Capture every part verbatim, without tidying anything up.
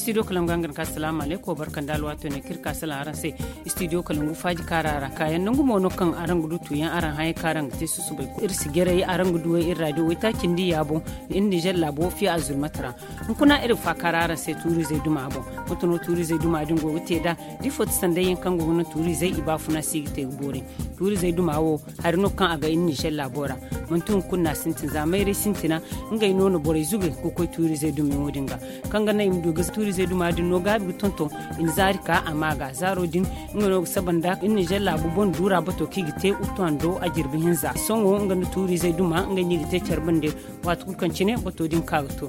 Studio kalangu ga nga na ka salaamu aleykum barka nda alwaato ne kaŋ iri ka salaŋ araŋ se. Studio kalangu faaji kaara ra kaayaŋ nangu mo no kaŋ araŋ ga du tuuyaŋ araŋ hayey kaŋ araŋ ga te susubay iri si jaray araŋ ga du iri raadiyo waytaaci nda iyya boŋ. Iri nizer laabo fiya azurmata ra hunkuna iri ga faakaara araŋ se tuurizey duma boŋ. Mate no tuurizey duma din go ga te nd'a da ifo ti sanday yaŋ kaŋ go ga naŋ tuurizey i baafuna si ga te ga boori. Tuurizey duma wo hari no kaŋ a ga iri nizer laabo ra. Manti hunkuna no a sintin za mayray sintina ngey no na borey zube ga koy tuurizey dumiyaŋo din ga. Kaŋ ga naŋ i ma du ga tuurizey duma din no gaabi ga tonton i na zaari ka a ma ga zaaro din. Nga no ga saba nda iri nizer laabu boŋ duura bato kaŋ i ga te uttu hando a jirbi hinza sohõ nga nda tuurizey duma ngey no i ga te care bande. Waati kulu kaŋ cine bato din ka ga to.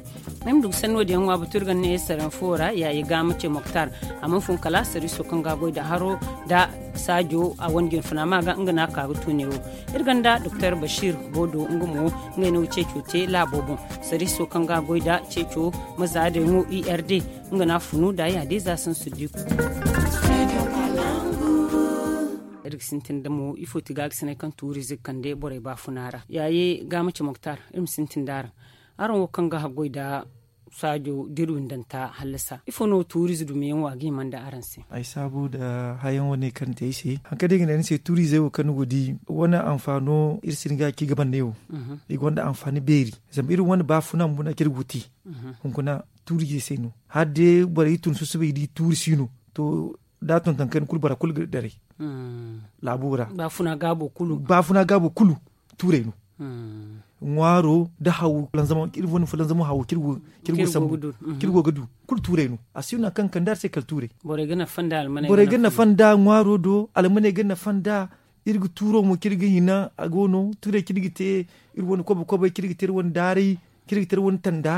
Ay ma du ga sanno din yaŋ ŋwa batu iri ga ne saraŋ fo ra yaaye ga ma ce moktar. A mana fun kala sariiso kaŋ ga a goy nda haro nda saajo a wane jinfuna ma ga nga no a ka ga tu neewo. Iri gonda doktor bashir bodo nga mo ngey no ga ceeco te laabo boŋ. Sariiso kaŋ ga a goy nda ceeco mazaadey ŋo i r d nga no a funu nda yaadin za sansu diku. Iri ga sintin da mo ifo ti ga ga sinay kaŋ tuurize ga kande borey baafuna ra yaaye ga ma ce moktar iri ma sintin da araŋ. Araŋ wo kaŋ ga haggoy nda saajo da iri windanta hallasa ifo no tuurize dumiyaŋ wo a ga hima nda araŋ se? Ay saabu nda hayaŋ wane kaŋ te ay se hari kaŋ day ga ne ni se tuurize wo kaŋ ni go ga di wane anfaano iri si ni ga ci ga bande wo. I gonda anfaani beeri zama iri wane baafuna bumbo no a ci iri go ga te. Hunkuna tuurize se no hari day borey tun susubay ga di tuuri si no. To da a tonton kayna kulu bora kulu ga daray. Laabo ra baafuna gaabo kulu tuurey no. Ŋwaaro nda hawo iri wane fulanzamo hawo kaŋ iri go ga sambu kaŋ iri go ga du kulu tuurey no. A si no hari kaŋ ga kande hari se kala tuurey. Borey ga nafa nda ŋwaaro do almaney ga nafa nda. Iri ga tuuro mo kaŋ iri ga hina a go no tuurey kaŋ iri ga te iri wane kobo kobey kaŋ iri ga te iri wane daaray kaŋ iri ga te iri wane tanda.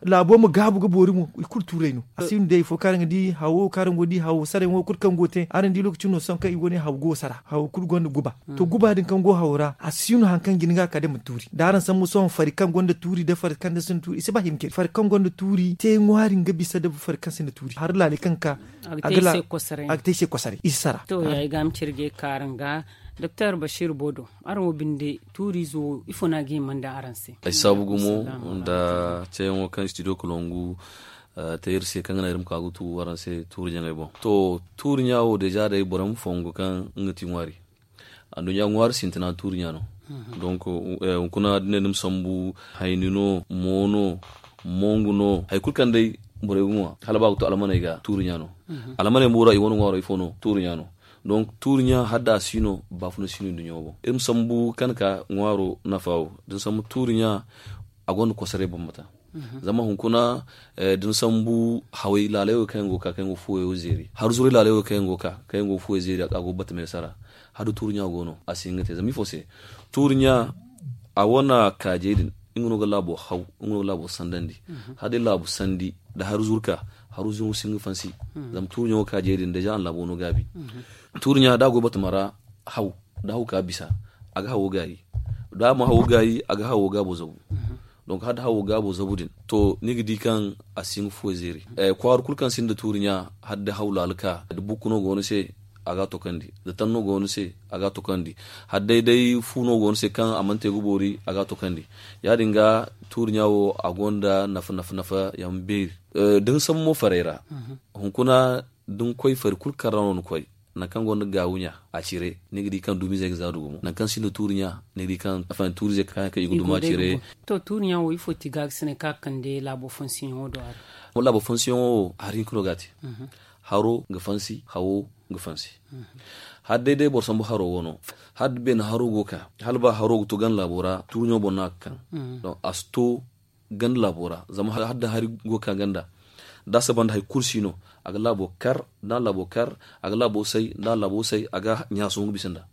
Laabo ma gaabu ga boori mo i kulu tuurey no a si no day ifo kaŋ araŋ ga di hawo kaŋ araŋ go ga di hawo saray ŋo kulu kaŋ go ga te araŋ di lookaci no sohõ kaŋ i go ne hawo go ga sara hawo kulu gonda guba. To guba din kaŋ go hawo ra a si no hari kaŋ ga hin ga a ka day ma tuuri da araŋ sambu sohõ fari kaŋ gonda tuuri nda fari kaŋ sinda tuuri i si ba hinka fari kaŋ gonda tuuri te ŋwaari nga bisa nda fari kaŋ sinda tuuri hari laaley kaŋ ga ka a ga te ay se kwasaray i si sara. To ya ay ga ma cire ga ay ka araŋ ga doktor bashir bodo araŋ wo binde tuuriize wo ifo no a ga hima nda araŋ se? Ay saabu gumo nda ceeyaŋo kaŋ studio kalangu te iri se kaŋ ga naŋ iri ma ka ga tu araŋ se tuuri ɲaŋey boŋ. To tuuri ɲa wo deeza day boro ma fongu kaŋ nga ti ŋwaari. Anduɲɲa ŋwaari sintina tuuri ɲa no. Donk hunkuna da ni ne ni ma sambu hayni no mo no mongu no hari kulu kaŋ day borey ga ŋwa hala ba ga to almaney ga tuuri ɲa no. Almaney mo ra i wane ŋwaaro ifo no tuuri ɲa no. Donk tuuri ɲa hala da a si no baafuna si no nduɲɲo boŋ iri ma sambu kaŋ ka ŋwaaro nafa wo da ni sambu tuuri ɲa a gonda kosoray bambata. Zama hunkuna da ni sambu haway laalay wo kaŋ yaŋ go ga ka kaŋ yaŋ go ga fuwey wo zeeri hari zuray laalay wo kaŋ yaŋ go ga ka kaŋ yaŋ go ga fuwey zeeri a go ga bata meesa ra. Hala da tuuri ɲa go no a si hin ga te zama ifo se tuuri ɲa a wane kaajey din nga no ga laabo haw nga no ga laabo sandandi. Hala day laabu sandi nda hari zuru ka hari zuru si hin ga fansi. Zama tuuri ɲa wo kaajey din deeza a na laabo no gaabi. Tuuri ɲa da a go batama ra haw da haw ka bisa a ga hawo gaayi. Da a ma hawo gaayi a ga hawo gaabo zabu. Donk hala da hawo gaabo zabu din to ni ga di kaŋ a si hin ga fuwey zeeri. Kwaara kulu kaŋ sinda tuuri ɲa hala da haw laala ka da bukku no go ni se a ga a tokandi da tanno go ni se a ga a tokandi. Hala day day fu no go ni se kaŋ a mana te ga boori a ga a tokandi. Ya- din ga tuuri ɲa wo a gonda nafa nafa nafa yaŋ beeri. Da ni sambu mo farey ra hunkuna da ni koy fari kulu kaŋ ra no ni koy nangu kaŋ gonda gaawu ɲa a cire ni ga di kaŋ dumiizey ga za nda gumo nangu kaŋ sinda tuuri ɲa ni ga di kaŋ tuuriizey kaŋ i ga duma cire. To tuuri ɲa wo ifo ti gaagasinay kaŋ a kande laabo fansiyaŋo do a ra? Laabo fansiyaŋo wo hari hinka no ga a te. Haro ga fansi hawo ga fansi. Hala day day boro sambu haro wano hala da beene haro go ga ka hala ba haro ga to ganda laabo ra tuuri ɲa boŋ no a ga kaŋ. Donk a si to ganda laabo ra zama hala da hari go ga ka ganda da a saba nda hari kulu si no. A ga laabo kar da a na laabo kar a ga laabo say da a na laabo say a ga ɲaasu nga bisa nda.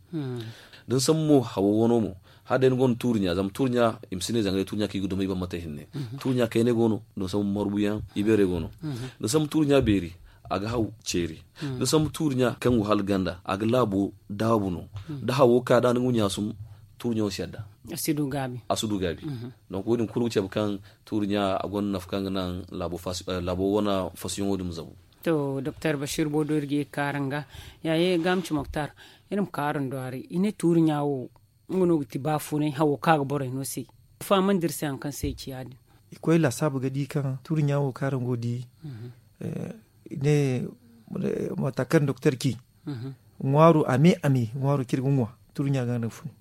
Da ni sambu mo hawo wano mo hala day ni gonda tuuri ɲa zama tuuri ɲa i ma si ne zanga day tuuri ɲa kaŋ i ga duma i bambata hinne. Tuuri ɲa kaynay go no da ni sambu marbuyaŋ ibeerey go no. Da ni sambu tuuri ɲa beeri a ga haw ceeri. Da ni sambu tuuri ɲa kaŋ go hala ganda a ga laabo daabu no. Da hawo ka da ni ga ɲaasum tuuri ɲa wo si yadda. A si du gaabi. Donk wo- din kulu ga cabe kaŋ tuuri ɲa a gonda nafa kaŋ ga naŋ laabo wane fasiyoŋo din ma zabu. To doktor bashir bodo iri ga ye ga kaara nga yaaye gaamci moktar iri ma kaara ndwaari i ne tuuri ɲa wo nga no ga ti baafunay hawo kaŋ a ga borey no se. Fahamandi iri se hari kaŋ se i ci ya- din. I koy laasaabu ga di kaŋ tuuri ɲa wo kaŋ araŋ go ga di. I ne mata kaŋ doktor ci ŋwaaro a me a me ŋwaaro kaŋ iri ga ŋwa tuuri ɲa ga no a ga funu.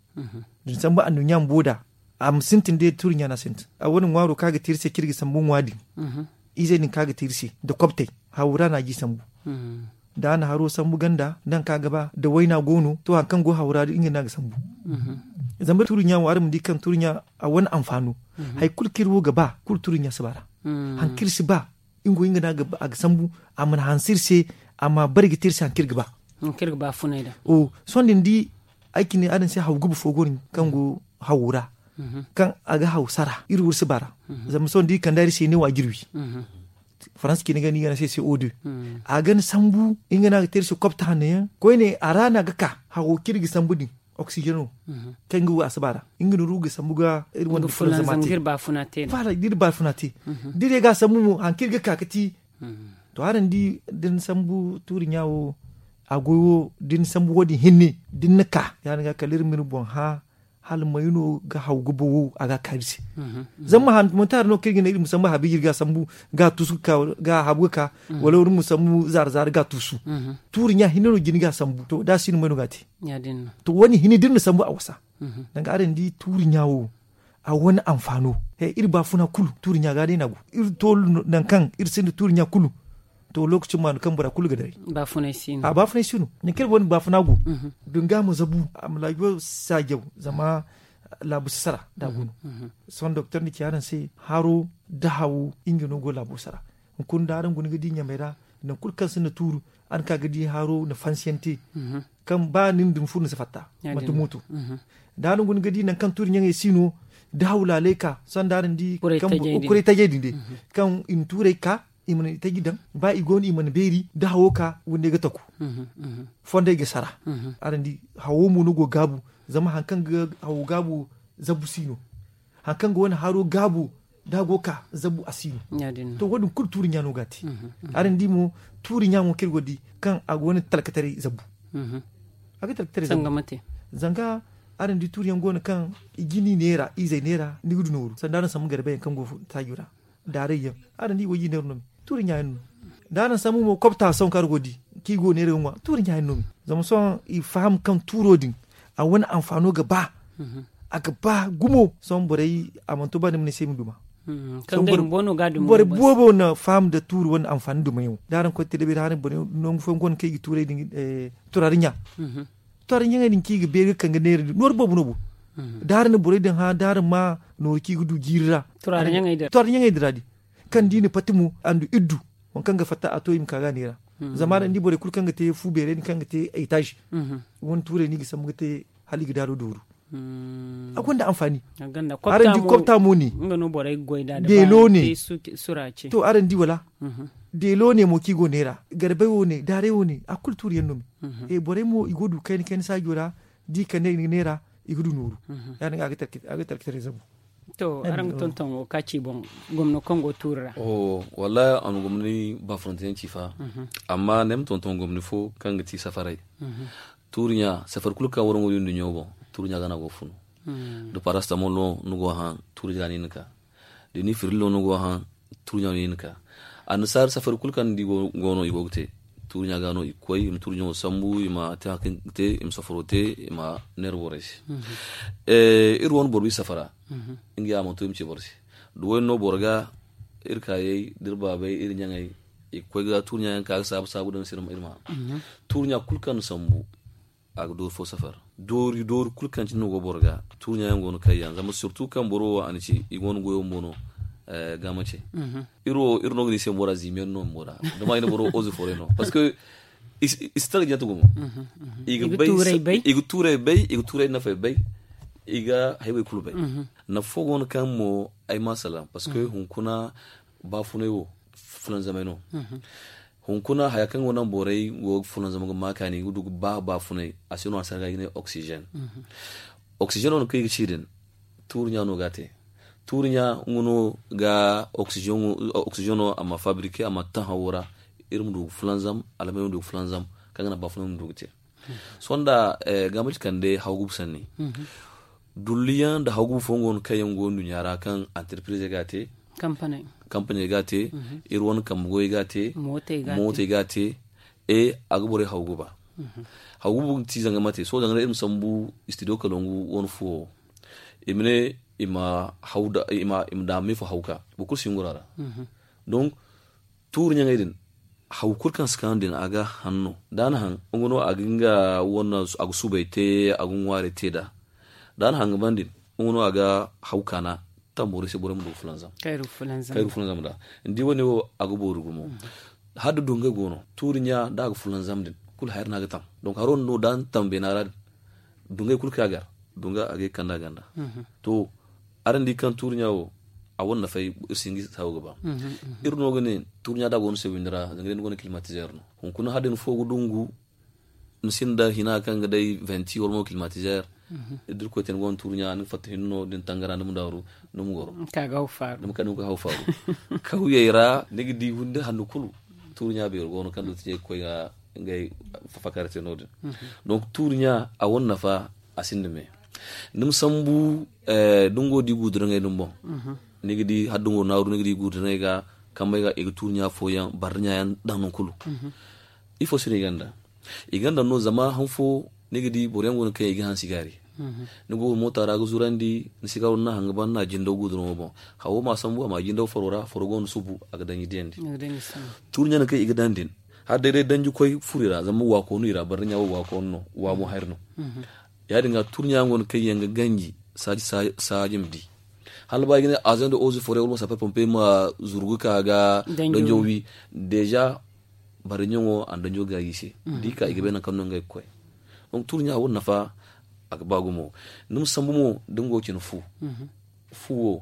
Da ni sambu anduɲɲa bumbo da a ma sintin day tuuri ɲa no a sintin a wane ŋwaaro kaŋ a ga te iri se kaŋ iri ga sambu ŋwa din. Izey din kaŋ a ga te iri se nda kobtey hawura no a ga i sambu. Da a na haro sambu ganda nangu kaŋ a ga ba da wayna go no to hari kaŋ go hawura din nga no a ga sambu. Zama tuuri ɲa wo araŋ ma di kaŋ tuuri ɲa a wane anfaano hari kulu kaŋ iri wo ga ba kulu tuuri ɲa si ba a ra. Hari kaŋ iri si ba nga wo nga no a ga sambu a mana hanse iri se a ma bare ga te iri se hari kaŋ iri ga ba. Sohõ da ni di ay cine araŋ se haw guba fo go no kaŋ go hawo ra kaŋ a ga haw sara iri wo iri si ba a ra. Zama sohõ da iri kand'a iri se ne wa jirwi faransa cine ga no i ga ne a se se o de a ga ni sambu nga no a ga te iri se kobta hanno yaŋ koyne a ra no a ga ka hawo kaŋ iri ga sambu din oksijeno kaŋ ga wo a si ba a ra nga no iri ga sambu ga iri wane da iri baafuna te da iri ye ga a sambu mo hari kaŋ iri ga ka ga ti. To araŋ di da ni sambu tuuri ɲa wo a goy wo da ni sambu wo- din hinne da ni na ka ya- din ga kala iri ma iri boŋ hã hala may no ga haw ga bawo a ga a kaari se. Zama manti hari no kaŋ iri ga ne iri ma sambu habiiji iri ga a sambu ga a tuusu ga habu ga ka wala iri ma sambu zaara zaara ga a tuusu. Tuuri ɲa hinne no jina ga a sambu to da a si no may no ga a te. To wo- din hinne da iri na sambu a wasa. Danga araŋ di tuuri ɲa wo a wane anfaano iri baafuna kulu tuuri ɲa ga day no a go iri toolu nangu kaŋ iri sinda tuuri ɲa kulu. To lookaci ma no kaŋ bora kulu ga daray. Baafunay si no nangu kaŋ iri wane baafuna go. Dunga ma zabu a ma laajo saajaw zama laabu si sara da a go no. Sohõ doktor na ci araŋ se haro da hawo nga no go laabo sara. Hunkuna da araŋ guna ga di ɲamey ra nangu kulu kaŋ sinda tuuru araŋ ka ga di haro na fansiyaŋ te kaŋ ba nin da ni furo ni si fatta. Manti mooto da araŋ guna ga di nangu kaŋ tuuri ɲaŋey si no da haw laaley ka sohõ da araŋ di kaŋ kuray tajey din day kaŋ i na tuurey ka i mana i taji daŋ ba i go no i mana beeri da hawo ka windey ga taku. Fondey ga sara. Araŋ di hawo mo no go gaabu zama hari kaŋ ga hawo gaabu zabu si no. Hari kaŋ ga wane haro gaabu da a go ga ka zabu a si no. To wo- din kulu tuuri ɲa no ga a te. Araŋ di mo tuuri ɲa mo kaŋ iri go ga di kaŋ a ga wane talkataray zabu. A ga talkataray zabu zanga araŋ di tuuri yaŋ go no kaŋ i jini neera izey neera ni ga du nooru sanda araŋ sambu garbe yaŋ kaŋ go taajo ra daaray yaŋ. Araŋ di i go ga i neera no me tuuri ɲa yaŋ no. Da araŋ sambu mo kobta sohõ kaŋ araŋ go ga di kaŋ i go neera ga ŋwa tuuri ɲa yaŋ no me. Zama sohõ i faham kaŋ tuuro din a wane anfaano ga ba a ga ba gumo sohõ borey a mana to ba ni ma ne se i ma duma. Borey boobo na faham nda tuuri wane anfaani dumayaŋo da araŋ koy tele beeri haray borey nangu fooyaŋ go no kaŋ i ga tuurey din turaari ɲa. Turaari ɲaŋey din kaŋ i ga beeri ga kaŋ ga neera din nooru boobo no bo. Da araŋ na borey din hã da araŋ ma nooru kaŋ i ga du jiiri ra. Turaari ɲaŋey din ra din kaŋ da i na pati mo a nda iddu waŋ kaŋ ga fatta a to i ma ka ga a neera. Zama araŋ di borey kulu kaŋ ga te fu beerey din kaŋ ga te etaazi wane tuurey no i ga sambu ga te hala i ga daaro dooru. A gonda anfaani. Araŋ di kobta mo ne. Beelo ne. To araŋ di wala? Deelo ne mo kaŋ i go neera garbey wo ne daarey wo ne a kulu tuuri yaŋ no me. Borey mo i go ga du kayna kayna saajo ra da i kande i ga neera i ga du nooru. Ya- din ga a ga tarkataray zabu. To araŋ ga tonton wo ka ci boŋ gomno kaŋ go tuuri ra? Wallaahi a na gomni baafunante yaŋ ci fa. Amma ne ay ma tonton gomni fo kaŋ ga ti safaray. Tuuri ɲa safari kulu kaŋ waraŋ go ga di nduɲɲo boŋ tuuri ɲa ga no a go ga funu. Da parastamol no ni go ga haŋ tuuri ɲa ga no i na ka. Da ni firillo no ni go ga haŋ tuuri ɲa no i na ka. Annasaari safari kulu kaŋ ni di go no i go ga te tuuri ɲa ga no i ga koy i ma tuuri ɲaŋo sambu i ma te hari kaŋ i ga te i ma safaro te i ma neera borey se. Iri wane boro ba i safara nga ya a mana to i ma ci boro se. Da wo- din no boro ga iri kaayey da iri baabey iri ɲaŋey i ga koy ga tuuri ɲa yaŋ ka ga saabu saabu daŋ se iri ma haŋ. Tuuri ɲa kulu kaŋ na sambu a ga doori fo safar doori doori kulu kaŋ cine no go boro ga. Tuuri ɲa yaŋ go no kayyaŋ zama sirtu kaŋ boro wo a na ci i go no goyo bumbo no. Ga ma ce iri wo iri no ga ne i se bumbo ra ziimiyaŋ no bumbo ra. Zama i na boro wo oze fooray no parceque i si tara jante gumo. I ga tuurey bay i ga tuurey nafey bay. I ga haywey kulu bay. Nafa fo go no kaŋ mo ay ma salaŋ parceque hunkuna baafunay wo fulanzamay no. Hunkuna haya kaŋ go naŋ borey go ga fulanzam ga ma kaani ga du ga ba baafunay a se no a se ga i ga ne oxygène. Oxygène wo no kaŋ i ga ci din tuuri ɲa no ga a te. Tuuri ɲa nga no ga oxygène wo a ma fabriquer a ma taŋ hawo ra. Iri ma du ga fulanzam almey ma du ga fulanzam kaŋ ga naŋ baafunay ma du ga te. Sohõ nda ga ma ci kande haw gubu sanni. Dulliyaŋ nda haw gubu fooyaŋ go no kaŋ yaŋ go nduɲɲa ra kaŋ entreprise ga a te. Kampaney ga a te. Iri wane kambe goyey ga a te. Mootey ga a te. E a ga borey haw guba. Haw guba ti zanga mate sohõ zanga day iri ma sambu istidiyo kalongu wane fuwo. I ma ne i ma daama me fo haw ka boro kulu si ngura ra. Donc tuuri ɲaŋey din haw kulu kaŋ si kaanu din a ga haŋ no da a na haŋ nga no a ga nga wane a ga subay te a ga ŋwaarey te nd'a. Da a na haŋ ga ban din nga no a ga haw kaana tamborey se borey ma du ga fulanzam. Kayru fulanzam nd'a ni di wane wo a ga boori gumo. Hala da dungay go no tuuri ɲa da a ga fulanzam din kulu haya din a ga tam. Donk haro din no da ni tam beena ra din dungay kulu kaŋ a gar dunga a ga ay kanda ganda. To araŋ di kaŋ tuuri ɲa wo a wane nafay iri si hin ga iri saawo ga ba. Iri no ga ne tuuri ɲa da a go no se windi ra zanga day ni go no kilmatizeer no hunkuna hala da ni fo ga dungu ni sinda hina kaŋ ga day venti wala mo kilmatizeer. Da irkoy te ni go no tuuri ɲa ni ga fatta hinne no da ni tangara ni ma daaru ni ma goro. Ni ma kay haw faaru kawyey ra ni ga di windi handu kulu. Tuuri ɲa beero go no kaŋ dootijey ga koy ga ngey fafakare te no- din. Donc tuuri ɲa a wane nafa a sinda me. Ni ma sambu da ni go ga di guuduraŋey din boŋ ni ga di hala da ni go ga naaru ni ga di guuduraŋey ga kambey ga i ga tuuri ɲa fooyaŋ barri ɲa yaŋ daŋ nangu kulu. Ifo se no i ganda i ganda no zama han fo ni ga di boro yaŋ go no kaŋ i ga hansi gaari. Ni go ga moota ra ga zurandi ni si gaaro ni na haŋ ga ban ni na jindaw guuduraŋo boŋ. Hawo ma sambu a ma jindaw faro ra faro go no subu a ga daŋ i diyandi. Tuuri ɲa no kaŋ i ga daŋ din hala day day danji koy furo i ra zama waako no i ra barri ɲa wo waako no no waamo hari no. Ya- din ga tuuri ɲa yaŋ go no kaŋ yaŋ ga ganji saaji ma di. Hala ba i ga ne azaŋ da ozi foro wala ma sapar pompe ma zuru ga ka ga danjo wi deeza. Barri ɲaŋo a na danjo gaayi i se da i ka i ga bay nangu kaŋ no ngey ga koy. Donk tuuri ɲa wo nafa a ga ba gumo. Ni ma sambu mo da ni go ga cine fu fu wo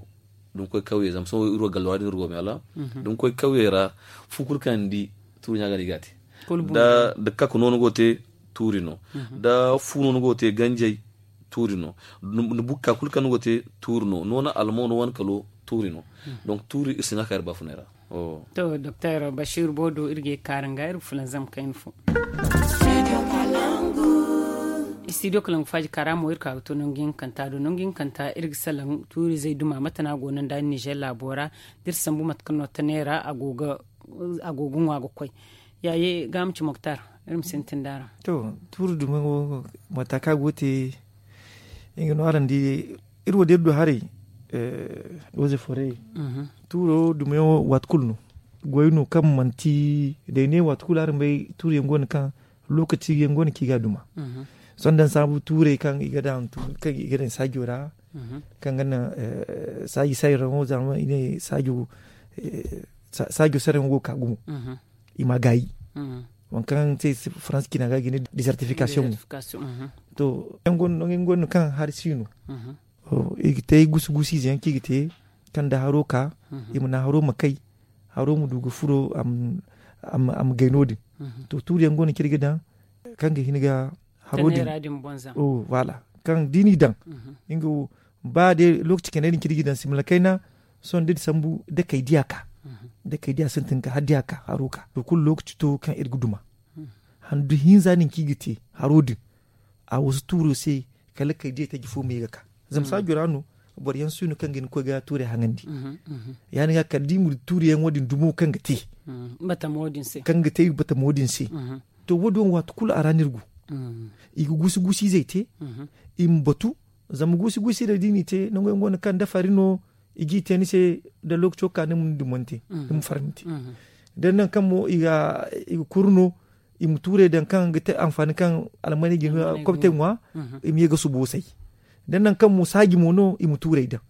da ni koy kawye zama sohõ iri wo gallo ra din iri go meela da ni koy kawye ra fu kulu kaŋ ni di tuuri ɲa ga no i ga a te. Da kakku no ni go ga te tuuri no da fu no ni go ga te ganjey tuuri no. Ni bukka kulu kaŋ ni go ga te tuuri no noona almo no wane kalo tuuri no. Donk tuuri iri si ne a ka iri baafunay ra. To doktor basiiru boodo iri ga ye ga kaara nga iri ga fulanzam kayna fo. Studio kalangu faaji kaara mo iri ka ga to nangu hinkanta do nangu hinkanta iri ga salaŋ tuuri zey duma mate no a go no nda nizer laabo ra da iri sambu mate kaŋ no tanay ra a go ga ŋwa ga koy. Yaaye ga a ma ci moktar iri ma sintin da araŋ. To tuuri duma wo mata kaŋ a go ga te nga no araŋ di iri wo da iri du haray. Oze fore tuuro dumiyaŋo waati kulu no goy no kaŋ manti day ne waati kulu araŋ bay tuuro yaŋ go no kaŋ lokaci yaŋ go no kaŋ i ga a duma. Sohõ da ni saabu tuurey kaŋ i ga daŋ saajo ra kaŋ ga naŋ saaji sayraŋo zama i ne saajo saraŋo go ga ka gumo. I ma gaayi waŋ kaŋ se faransa cina ga ga i ne desertification. To yaŋ go no kaŋ hari si no i ga te gusu gusu ize yaŋ kaŋ i ga te kaŋ da haro ka i ma naŋ haro ma kay haro ma du ga furo a ma gay no- din. To tuuri yaŋ go no kaŋ iri ga daŋ kaŋ ga hin ga haro din. Voilà kaŋ da i n'i daŋ nga wo ba day lokaci kayna din kaŋ iri ga daŋ simila kayna sohõ da iri sambu da kay diya ka da kay diya sintin ka hala diya ka haro ka to kulu lokaci to kaŋ iri ga duma handu hinza din kaŋ i ga te haro din a wasu tuuro se kala kay diya taji fo me ga ka zama saajo ra no boro yaŋ si no kaŋ ga hin ga koy ga tuurey haŋandi. Ya- din ga kala da i ma du tuuri yaŋo din dumo kaŋ ga te kaŋ ga te batamo din se. To wo- din waati kulu a ra no iri go i ga gusu gusu izey te i ma batu zama gusu gusu izey da i n'i te nangu yaŋ go no kaŋ da fari no i g'i te ni se da lokaco ka ni ma ni dumante ni ma farmante da ni naŋ kaŋ mo i ga kuru no i ma tuurey daŋ kaŋ ga te anfaani kaŋ almaney ga hin ga kobtey ŋwa i ma ye ga subo say da ni naŋ kaŋ mo saaji mo no i ma tuurey daŋ.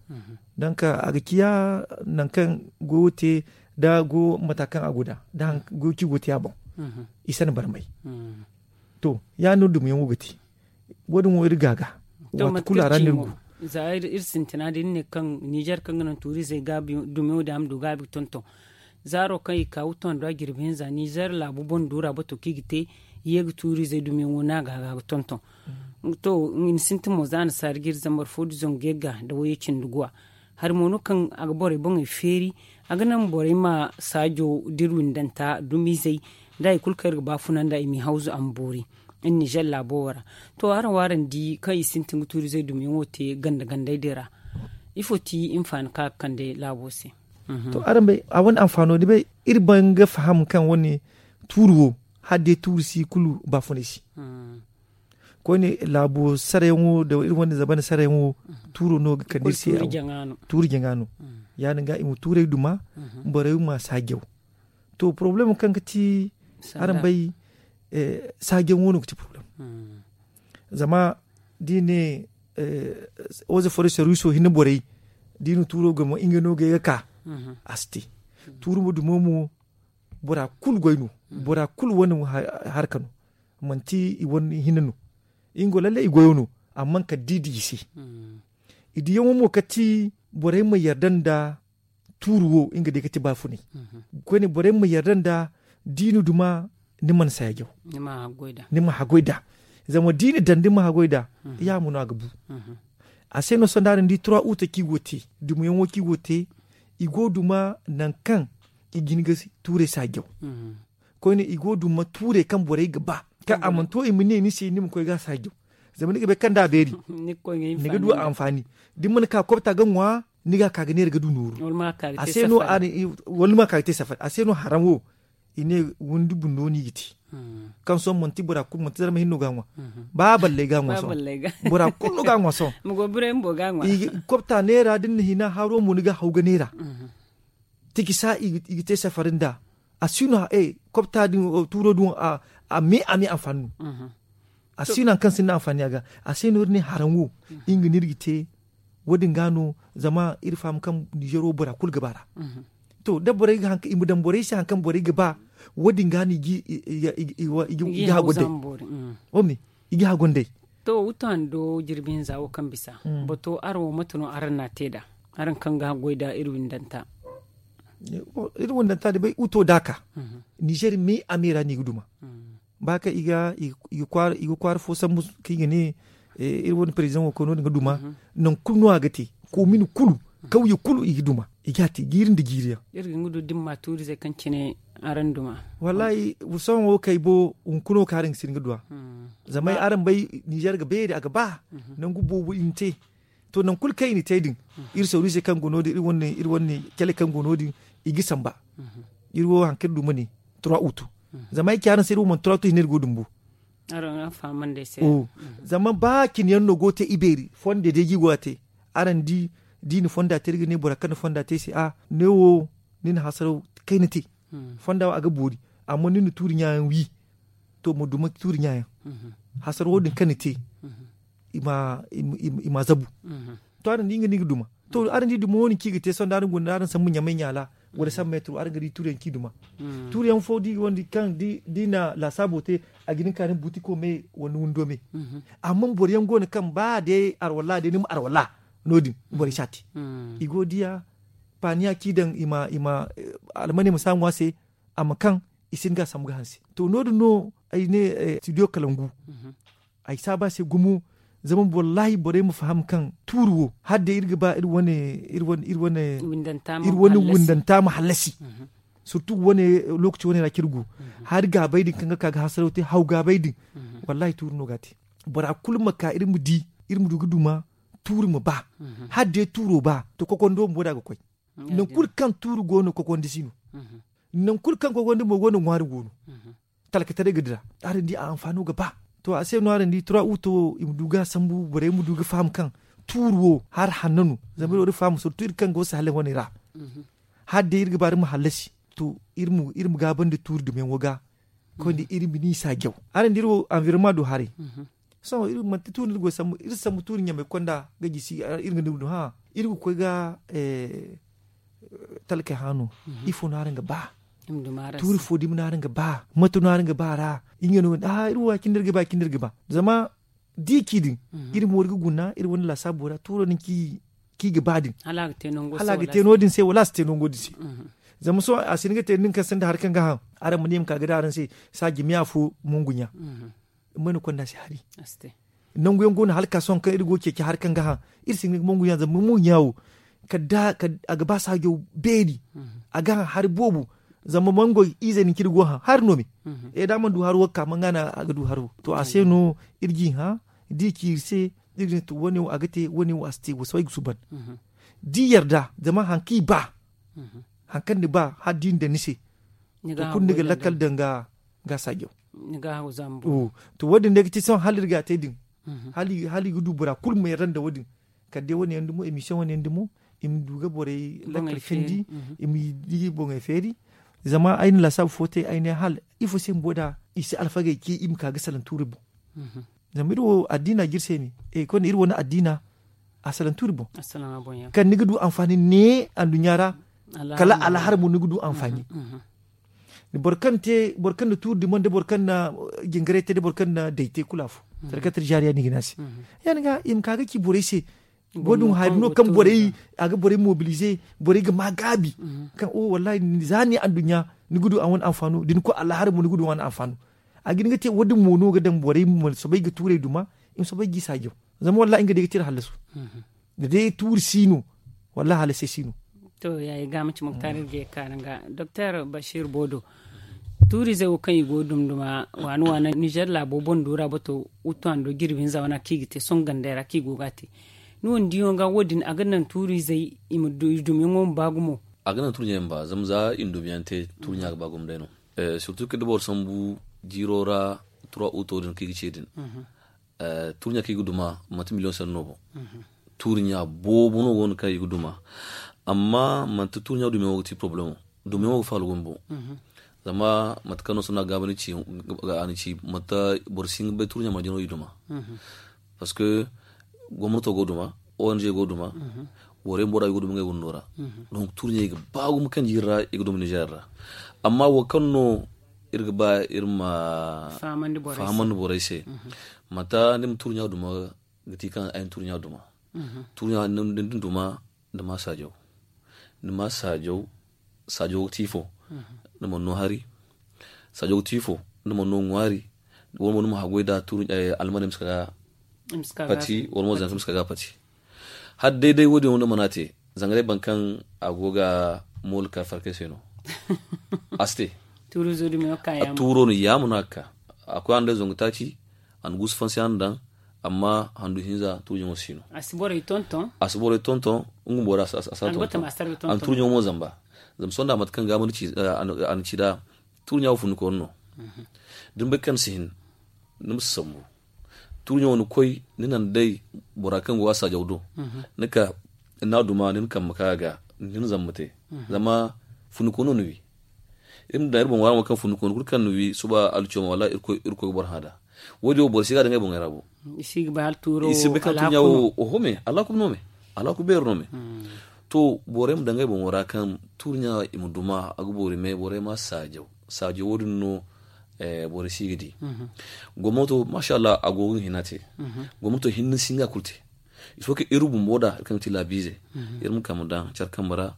Donk a ga ciya naŋ kaŋ goyo te da go mata kaŋ a go da da goyo ci go te a boŋ i sanda barmay. To ya- din no dumiyaŋo ga te wo- din wo iri ga ga waati kulu a ra no iri go. Za iri sintina da iri ne kaŋ nizer kaŋ ga naŋ tuuri izey ga dumiyaŋo din a ma du gaabi ga tonton zaaro kaŋ i ka wuto nda jirbi hinza nizer laabu boŋ duura bato kaŋ i ga te i ye ga tuuri izey dumiyaŋo no a ga ga ga tonton. To i na sintin mo za a na saari ga iri zambar fo da zangu yagga nda wayye cindi guwa. Hari mo no kaŋ a ga borey boŋey feeri a ga naŋ borey ma saajo da iri windanta dumizey nda hari kulu kaŋ iri ga ba funa nda i m'i hawzu a ma boori. Iri nizer laabo wo ra to araŋ wo araŋ di kaŋ i sintin ga tuurizey dumiyaŋo te ganda gandey din ra ifo ti hinfaani kaŋ a ga kande laabo se? To araŋ bay a wane anfaano ni bay iri ban ga faham kaŋ wane tuuri wo hala day tuuri si kulu baafunay se. Koyne laabo sarayaŋo da iri wane zabana sarayaŋo tuuro no ga kande iri se. Tuuri jaŋa no ya- din ga i ma tuuray duma borey ma saajaw. To porobalem kaŋ ga ti araŋ bay saajaŋo no ga ti porobalem. Zama da i ne oze foro serviso hinne borey da i na tuuro gama nga no ga ye ga ka a si te. Tuuri ma dumo mo bora kulu goy no. Bora kulu wane harka no. Manti i wane hinne no. Nga wo lalle i goyo no. Amma kala da i di i se i diyaŋo mo kala ti borey ma yarda nda tuuri wo nga day ga ti baafunay. Koyne borey ma yarda nda da i na duma ni mana saajaw. Ni ma haggoy nd'a zama da i na daŋ ni ma haggoy nd'a. Yaamo no a ga bu. A se no sohõ da araŋ di turawa uta kaŋ i go ga te dumayaŋo kaŋ i go ga te i go ga duma nangu kaŋ i ga hin ga tuurey saajaw. Koyne i go ga duma tuurey kaŋ borey ga ba kaŋ a mana to i ma ne ni se ni ma koy ga a saajaw. Zama ni ga bay kaŋ da a beeri ni ga du a anfaani. Da ni mana ka kobta ga ŋwa ni ga a ka ga neera ga du nooru. A se no wala ni ma ka ga te safari a se no haraŋ wo i ne windi bundo no i ga te. Kaŋ sohõ manti bora kulu manti zarma hinne no ga a ŋwa. Ba balley ga a ŋwa sohõ. Bora kulu no ga a ŋwa sohõ. Kobta neera da ni na hina haro mo ni ga a haw ga neera. Tikisa i ga te safari nd'a. A si no kobta din tuuro din a me a me anfaani no. A si no hari kaŋ sinda anfaani a ga. A se no iri ne haraŋ wo nga no iri ga te. Wo- din ga no zama iri faham kaŋ ninzeer wo bora kulu ga ba ra. To da borey ga hari kaŋ i ma daŋ borey se hari kaŋ borey ga ba wo- din ga no i ga haggoy day. I ga haggoy day. To wuto hando jirbi hinza wo kaŋ bisa bato araŋ wo mate no araŋ na a te nd'a? Araŋ kaŋ ga haggoy nd'a iri windanta. Iri windanta da bay wuto da a ka ninzeer me a me ra no i ga duma. Ba kaŋ i ga kwaara fo sambu kaŋ i ga ne iri wane perezidaŋo koy no- din ga duma. Nangu kulu no a ga te koomin kulu kawye kulu i ga duma. I ga a te jiiri nda jiiri yaŋ. Iri ga nga du da ni ma tuuri zey kaŋ cine araŋ duma. Wallaahi sohõ wo kay bo hunkuna wo kaŋ araŋ ga si ni ga duw'a. Zama ay araŋ bay ninzeer ga beeri a ga ba nangu boobo i na te. To nangu kulu kaŋ i na te din iri sawru ize kaŋ go no- din iri wane cale kaŋ go no- din i ga samba. Iri wo hari kaŋ iri duma ne turawa utu. Zama ay ci araŋ se iri wo manti turawa utu hinne iri go dumbu. Zama ba cine yaŋ no go ga te ibeeri fonda day ga i go ga te. Araŋ di da i na fonda te iri ga ne bora kaŋ na fonda te ay se a ne wo ni na hasaraw kayna te. Fonda wo a ga boori. Amma ni na tuuri ɲa yaŋ wi to ma duma tuuri ɲa yaŋ. Hasaraw wo- din kaŋ ni te i ma zabu. To araŋ di nga no i ga duma. To araŋ di duma wo- din kaŋ i ga te sohõ da araŋ guna da araŋ sambu ɲamay ɲaala wala sambu metro araŋ ga di tuuri yaŋ kaŋ i duma. Tuuri yaŋ fo da i ga wandi kaŋ da i na laasaabo te a ga hin ka ni butiko me wala ni windo me. Amma boro yaŋ go no kaŋ ba day arwalla day ni ma arwalla no- din borey si a te. I go ga diya paaniya kaŋ i daŋ i ma almaney ma si a ŋwa se. A ma kaŋ i si hin ga a sambu ga hanse. To no- din no ay ne studio kalangu ay si a ba se gumo. Zama wallaahi borey ma faham kaŋ tuuri wo hala day iri ga ba iri wane iri wane windanta ma hallasi. Surtu wane lookaci wane ra kaŋ iri go hari gaabay din kaŋ ga ka ga hasaraw te haw gaabay din. Wallaahi tuuri no ga a te. Bora kulu ma ka iri ma di iri ma du ga duma tuuri ma ba. Hala day tuuro ba to kokondo bumbo da a ga koy. Nangu kulu kaŋ tuuri go no kokondi si no. Nangu kulu kaŋ kokondi mo go no ŋwaari go no. Talkataray ga dira araŋ di a anfaano ga ba. To a se no araŋ di turawa uto i ma du ga a sambu borey ma du ga faham kaŋ tuuri wo hari hanno no. Zama iri wo iri faham surtu iri kaŋ go sahaleŋ wane ra hala day iri ga ba iri ma hallasi to iri ma gaabandi tuuri dumiyaŋo ga. Koyne iri ma ni saajaw araŋ da iri wo anvironma du haray. Sohõ iri manti tuuri no iri go sambu iri si sambu tuuri ɲamay konda ga gisi iri ga ni du hã iri ga koy ga talkey hã no. Ifo no araŋ ga ba? Tuuri fo dumi no araŋ ga ba mate no araŋ ga ba a ra? Nga no iri wo ya- cine no iri ga ba ya- cine no iri ga ba zama da i ci din iri mo iri ga guna iri wane laasaabo ra tuuro din kaŋ i ga ba din hala a ga te no- din se wala a si te nango din se. Zama sohõ a si hin ga te nin kaŋ sinda hari kaŋ ga haŋ araŋ ma ne i ma ka ga daŋ araŋ se saaji me afo mongu ɲa. May no konda se hari nangu yaŋ go no hala ka sohõ kaŋ iri go ga ceeci hari kaŋ ga haŋ iri si hin ga mongu ɲa zama mongu ɲa wo kala da a ga ba saajo beeri. A ga haŋ hari boobo zama mangoy ize din kaŋ iri go ga haŋ hari no me. E da a mana du haro wo ga ka manga no a ga du haro to a se no iri ga i hã da i ci iri se iri ga ne to wane wo a ga te wane wo a si te wo sohõ ay ga suuban da i yarda zama hari kaŋ i ba. Hari kaŋ ni ba hala da i na daŋ ni se, to kulu ni ga lakkal daŋ ga saajaw. To wo- din day ga ti sohõ hala iri ga a te din. Hala i ga du bora kulu ma yarda nda wo- din. Kala day wane yaŋ dumo emission wane yaŋ dumo, i ma du ga borey lakkal candi, i ma di boŋey feeri. Zama ay na laasaabu fo te ay ne hala ifo se bumbo da i si alfagey ce i ma ka ga salaŋ tuuri boŋ. Zama iri wo addiina ga iri se ne, iri wane addiina a salaŋ tuuri boŋ. Kaŋ ni ga du anfaani ne anduɲɲa ra, kala alahar mo ni ga du anfaani. Boro kaŋ na tuuri duma nda boro kaŋ na jingaray te nda boro kaŋ na day te kulu afo. Sarkatar jaariya no i ga ne a se. Ya- din ga i ma ka ga ci borey se. Wo- din hari no kaŋ borey a ga borey mobilize, borey ga ma gaabi. Kaŋ o wallahi za ni anduɲɲa ni ga du a wane anfaano da ni koy alahar mo ni ga du a wane anfaano. A ga hin ga te wo- din mo no ga daŋ borey ma soobay ga tuurey duma, i ma soobay ga i saajaw. Zama wallahi nga day ga te iri hallasu. Da day tuuri si no, wallahi hallasey si no. To ya- i ga manci muktar iri ga ye ga kaanu ga doktor bashir bodo. Tuuriizey wo kaŋ i go ga duma duma waana waana nizer laabo boŋ duura bato, wuttu hando jirbi hinza wane kaŋ i ga te sohõ gandey ra kaŋ i go ga a te. Ni wane diiyaŋo ga wo- din a ga naŋ tuuriizey i ma du i dumiyaŋo ma ba gumo. A ga naŋ tuuriiyaŋ ba zama za i na dumiyaŋ te tuuriiyaŋ ga ba gumo day no. Surtout kaŋ da boro sambu jiiro ra, tura uto din kaŋ i ga ce din. Tuuriiyaŋ kaŋ i ga duma manti miliyoŋ sanni no boŋ. Tuuriiyaŋ boobo no go no kaŋ i ga duma. Amma manti tuuriiyaŋ dumiyaŋo ga ti problemo. Dumiyaŋo ga faalu gumo boŋ. Zama mate kaŋ no sohõ a gaabandi ci a na ci mate boro si hin ga bay tuuriiyaŋ ma jino i duma. Parce que gomnato go duma, ong go duma, borey bumbo da i go duma ngey wando ra. Donc tuuriiyaŋ i ga ba gumo kaŋ jiiri ra i ga duma nizer ra. Amma wo kaŋ no iri ga ba iri ma fahamandi borey se. Mate ni ma tuuriiyaŋ duma ga ti kaŋ ay na tuuriiyaŋ duma. Tuuriiyaŋ da ni duma ni ma saajaw. Ni ma saajaw. Saajaw ga ti ifo? Ni mana no hari. Saajaw ga ti ifo? Ni mana no ŋwaari. Wala mo ni ma haggoy da tuuri almaney ma si ka ga pati wala mo zanka ma si ka ga pati. Hala day day wo- din wo ni mana te. Zanga day boro kaŋ a go ga mooli ka farkay se no. A si te. Tuuro no yaama no a ga ka. A koy a na day zangu taaci. A na guusu fansi a na daŋ. Amma handu hinza tuuriiyaŋo si no. A si borey tonton. Nga bumbo da a si a tonton. A na tuuriiyaŋo mo zamba. Zama sohõ da mate kaŋ gaabandi ci a na ci nd'a. Tuuriiyaŋo funikooni no. Da ni bay kaŋ ni si hin ni ma si sambu. Tuuriiyaŋo ni koy ni naŋ day bora kaŋ go a saajaw do. Ni ka ni n'a duma ni na kambe ka a ga ni na zamba te. Zama funikooni no ni wi. Iri ma daŋ iri boŋ waaraŋo kaŋ funikooni kulu kaŋ ni wi suba alciyoma wala irkoy ga boro hã nd'a. Wo- din wo boro si ga a daŋ ngey boŋey ra bo. I si bay kaŋ tuuriiyaŋo oho me alaaku no me. Alaaku beeri no me. To borey ma daŋ ngey boŋo ra kaŋ tuuriiyaŋ i ma duma a ga boori me borey ma saajaw. Saajaw wo- din no borey si ga di. Gomnato masha allah a go ga hina te. Gomnato hinne si hin ga a kulu te. Il faut que iri bumbo da iri kaŋ ga ti laabiize iri ma kambe daŋ care kambe ra.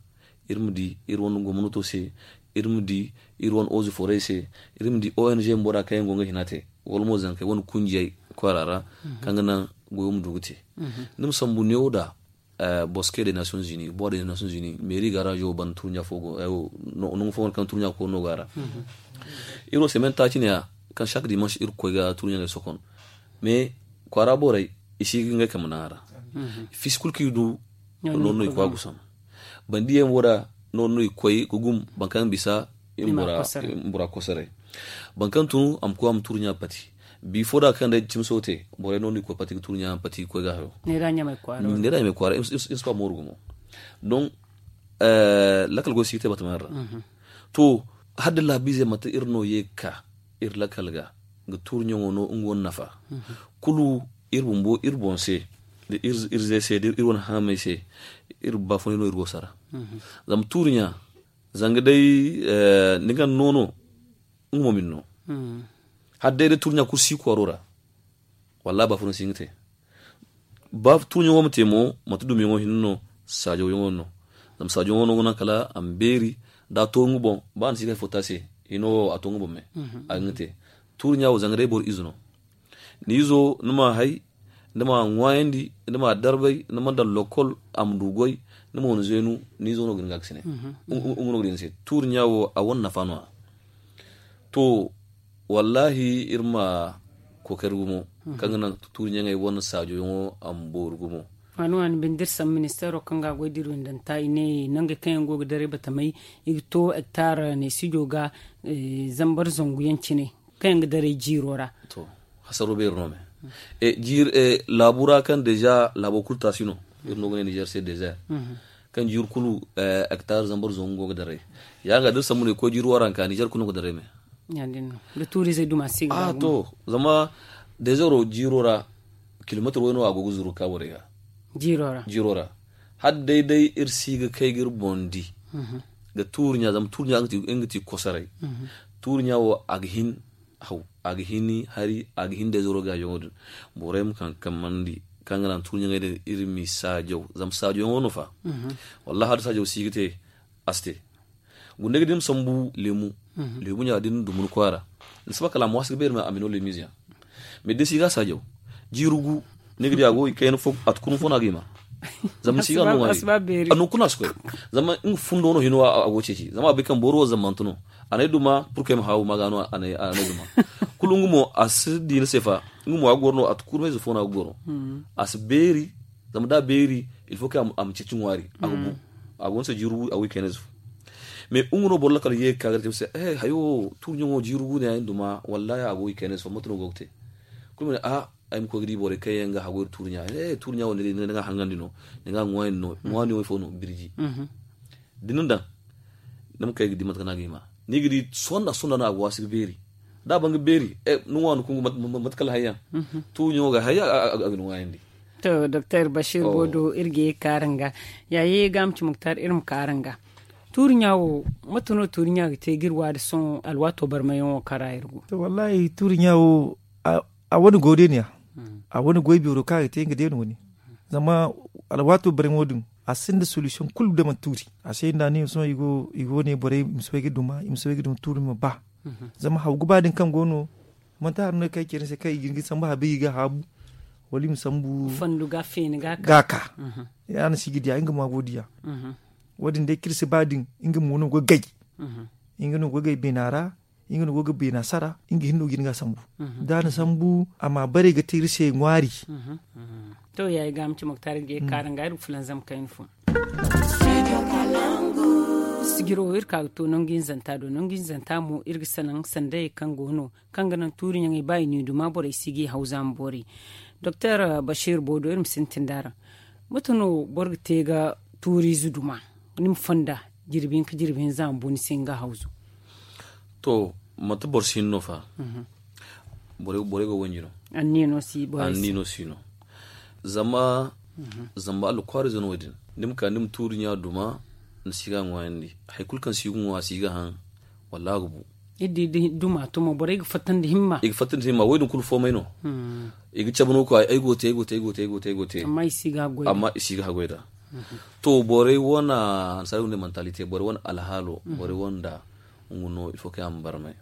Iri ma di iri wane gomnato se. Iri ma di iri wane ozo forey se. Iri ma di ong bumbo da kaŋ yaŋ go ga hina te wala mo zankey wane kunjiyey kwaara ra kaŋ ga naŋ goyo ma du ga te. Ni ma sambu neewo da boske de nations unis bois de nations unis meeri garazo banda tuuriiyaŋ fo go nangu fo wane kaŋ tuuriiyaŋ koy no go a ra. Iri wo semaine taaci ne- ya kaŋ chaque dimanche iri ga koy ga tuuriiyaŋey sokon. Mais kwaara borey i si ga ngey kambe naŋ a ra. Fiisi kulu kaŋ i du noodin no i koy a gusam. Bandiyaŋ wo da noodin no i koy ga gum boro kaŋ bisa i ma bora kosoray. Boro kaŋ tun a ma koy a ma tuuriiyaŋ pati. Bi fo da kaŋ day cimi sohõ te borey noodin i koy pati ga tuuriiyaŋ pati ga koy ga hayo. Neera ɲamay kwaara iri si ba mooru gumo. Donc lakkal goy si ga te batama ra. To hala da laabiizey manti iri no ye ga ka iri lakkal ga ga tuuriiyaŋo no nga wane nafa. Kulu iri bumbo iri boŋ se da iri ze se da iri wane haamey se. Iri baafunay no iri go sara. Zama tuuriiyaŋ zanga day ni ga noono nga mo ma ni no. Hala day da tuuriiyaŋ kulu si kwaaro ra. Wallaahi baafunay si hin ga te. Ba tuuriiyaŋo ma te mo manti dumiyaŋo hinne no. Saajawyaŋo no. Zama saajawyaŋo no ga naŋ kala a ma beeri da a to nga boŋ ba a na si ga hay fo te a se. Hino wo a to nga boŋ me. A ga nga te. Tuuriiyaŋo zanga day boro ize no. Ni izo ni ma a hay ni ma a ŋwaayandi ni ma a darbay ni ma a daŋ lokol a ma du goy. Ni ma wane zeenu ni izo no ga hin ga a ga sine. Nga no ga di ni se tuuriiyaŋo a wane nafa no- ya. To wallaahi iri ma kookari gumo kaŋ ga naŋ tuuriiyaŋey wane saajawyaŋo a ma boori gumo. Waani waani binde iri sambu ministeero kaŋ ga a goy da iri windanta i ne nangey kaŋ yaŋ go ga daray batamey i ga to hektar neesijo ga zambar zangu yaŋ cine kaŋ yaŋ ga daray jiiro ra. Hasaro beeri no me. Laabu ra kaŋ deeza laabo kulu taasi no. Iri no ga ne nizer se dezer kaŋ jiiri kulu hektar zambar zangu go ga daray. Ya ga da iri sambu no i koy jiiri waranka nizer kulu no ga daray me. Da tuurizey duma si ga a to zama dezero jiiro ra kilometir wayno a go ga zuru ga ka borey ga. Jiiro ra hala day day iri si ga kay ga iri boŋ di ga tuuri ɲa zama tuuri ɲa nga ti kosoray. Tuuri ɲa wo a ga hin haw a ga hin hari a ga hin dezero ga yaŋo din. Borey ma kaŋ kammandi kaŋ ga naŋ tuuri ɲaŋey din iri ma i saajaw zama saajaw yaŋo no fa. Wallahi hala saajaw si ga te a si te. Gunda ga din sambu lemu lemu ɲa din dumuni kwaara ni saba kala mo a si ga beeri ma a mino lemize yaŋ. Mais da si ga saajaw jiiru gu ni ga di a go i kayna fo a tukunu fo no a ga i ma. Zama ni si ga no ŋwaari a no kuna si koy. Zama nga fundo no hino a go ceeci zama a bay kaŋ boro wo zammanta no. A na ay duma purkay ma haawu ma ga no a na ay duma. Kulu nga mo a si di ni se fa nga mo a ga goro no a tukunu mayze fo no a ga goro. A si beeri zama da a beeri il faut que a ma ceeci ŋwaari a ga bu. A go ni se jiiru a go i kayna ze fo. Mais nga no boro lakkal ye ga ka ga te se hayo tuuri ɲaŋo jiiru gu ne ay duma wallahi a go i kayna ze fo mate no go ga te. Kulu ma ne a ay ma koy ga di borey kaŋ yaŋ ga hagu iri tuuri ɲa. Tuuri ɲa wo ni di ni ga haŋandi no ni ga ŋwaani no ŋwaani wo ifo no birji. Da ni daŋ ni ma kay ga di mate kaŋ no a ga hima ni ga di sonda sonda no a go a si ga beeri. Da a ban ga beeri ni ŋwaani kungu mate kala hayyaŋ. Tuuri ɲaŋo ga hayyaŋ a ga ni ŋwaayandi. To doktor bashir bodo iri ga ye ga kaara nga. Ya ye ga ma ci muktar iri ma kaara nga. Tuuri ɲa wo mate no tuuri ɲa ga te ga iri waari sohõ alwaato barmayaŋo kaŋ ra iri go? To wallahi tuuri ɲa wo a wane goy day no ya. A wane goy beero kaŋ a ga te nga day no wane. Zama alwaato barmayaŋo din a sinda solution kulu da mana tuuri a se nda ni sohõ i go ne borey i ma soobay ga duma i ma soobay ga duma tuuri ma ba. Zama haw ga ba din kaŋ go no manti hari no kaŋ ay ce ni se kaŋ i ga hin ga sambu habay i ga haabu wala i ma sambu ga ka. Ya no si ga diya nga mo a go diya. Wo- din day kaŋ iri si ba din nga mo no go ga gay. Nga no go ga gay beena ra nga no go ga beena sara nga hinne no ga hin ga a sambu. Da a na sambu a ma bare ga te iri se ŋwaari. To ya ay ga ma ci muktar ga ye ga kaara nga iri ga fulanzam kayna fo. Sijiro iri ka ga to nangu hinzanta do nangu hinzanta mo iri ga salaŋ sandayey kaŋ go no kaŋ ga naŋ tuuri ɲaŋey ba i n'i duma borey si ga i haw zaama boori. Doktor bashir bodo iri ma sintin da araŋ mate no boro ga te ga tuuriize duma ni ma fonda jirbi hinka jirbi hinza ma bu ni se ni ga hawzu. To manti boro si hin no fa. Borey go wanji no. Anniya no si no. Zama zamba allah kwaariize no wo- din ni ma ka ni ma tuuri ɲa duma ni si ga ŋwaayandi hari kulu kaŋ si ga ŋwa a si ga haŋ. Wallaahi a ga bu. Iri di da duma to mo borey ga fatta nda himma i ga fatta nda himma wo- din kulu foomay no. I ga cabe no ga koy ay go te ay go te ay go te ay go te ay go te. Amma i si ga haggoy da. To borey wane annasaara go ne mantalite borey wane alhaalo borey wane da nga no il faut que a ma barmay.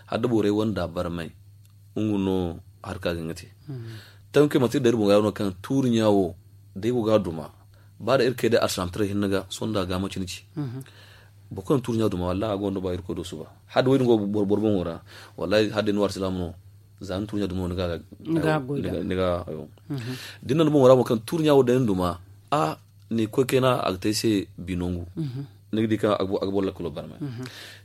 Hala da borey wane da barmay nga no harka ga nga te. Tanke manti day iri boŋ ga no kaŋ tuuri ɲa wo da ay go ga a duma ba da iri kay day alsilaamataray hinne ga sohõ nda a ga manci ni ci. Boro kaŋ na tuuri ɲa duma wallaahi a gonda ba irkoy do suba. Hala da wo- din go boro boŋo ra wallaahi hala day ni wo alsilaama no. Za ni tuuri ɲa duma no ni ga a goy da ni ga a hayo. Da ni na ni boŋo ra mo kaŋ tuuri ɲa wo day ni duma a ni koy kayna a ga te ay se bi nangu. Ni ga di kaŋ a ga boro lakkalo barmay.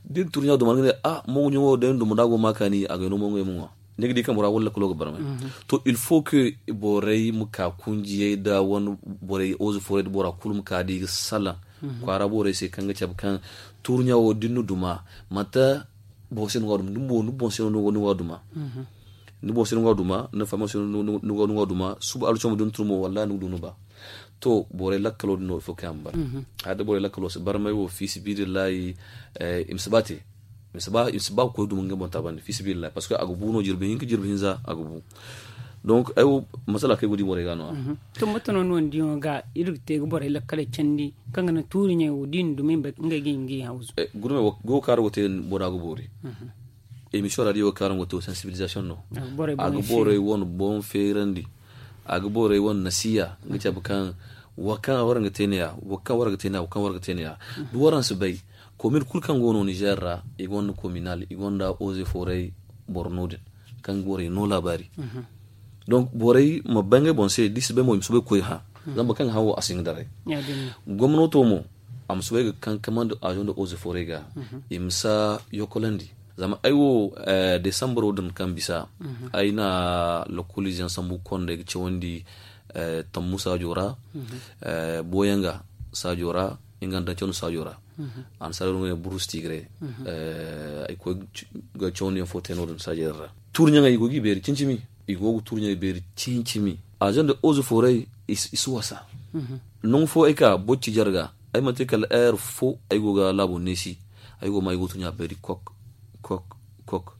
Da ni tuuri ɲa duma ni ga ne a mongu ɲaŋo day ni duma da a go ma kaani a ga ay no mongu ay ma ŋwa. Ni ga di kaŋ bora wala lakkalo ga barmay. To il faut que borey ma ka kunjiyey da wane borey oze forey da bora kulu ma ka da i ga salaŋ kwaara borey se kaŋ ga cabe kaŋ tuuri ɲa wo da ni na duma manti boro se no ga duma ni boŋ se no ga duma. Ni boŋ se no ga duma ni fama se no ga duma suba alcamo da ni turu mo wallaahi ni ga du ni ba. To borey lakkalo din no il faut que a ma bar. Hala da borey lakkalo si barmay wo fi sabilillahi i ma si ba te. I ma si ba ga koy duma nga boŋ taabandi fi sabilillahi parce que a ga bu no jirbi hinka jirbi hinza a ga bu. Donc ay wo masala kaŋ ay go ga di borey ga no- ya. To mate no ni wane diyaŋo ga iri ga te ga borey lakkaley candi kaŋ ga naŋ tuuri ɲaŋey wo da i na duma ngey ga i ma ga i hawzu. Gurme go kaara go te bora ga boori. Emission ra da i wo kaara go te wo sensibilisation no. A ga borey wane boŋ feerandi. A ga borey wane nasiya ga cabe kaŋ wo kaŋ waraŋ ga te ne- ya wo kaŋ waraŋ ga te ne- ya wo kaŋ waraŋ ga te ne- ya. Da waraŋ si bay komin kulu kaŋ go no nizer ra i gonda kominal i gonda oze forey boro no- din kaŋ ga borey no laabaari. Donc borey ma bay ngey boŋ se da i si bay mo i ma soobay ga koy hã. Zama boro kaŋ ga hã wo a si hin ga daray. Gomnato mo, a ma soobay ga kankamandi avion de eaux et forêt ga, i ma si a yokkolandi. Zama ay wo, desambaro din kaŋ bisa, ay na lokoliizeyaŋ sambu konda ay ga cawandi, tammu saajo ra, booyanga saajo ra, nga nda cawandi saajo ra. Annasaara no ga ne burus tigre. Ay koy ga cawandiyaŋ fo te no- din saajo din ra. Tuuri ɲaŋey i go g'i beeri cimi-cimi. I go ga tuuri ɲaŋey beeri cimi-cimi. Avion de eaux et forêt i si wasa. Nangu fo ay ka bocci jarga, ay manti kala heure fo ay go ga laabo neesi. Ay go ma ay go ga tuuri ɲa beeri kok, kok, kok.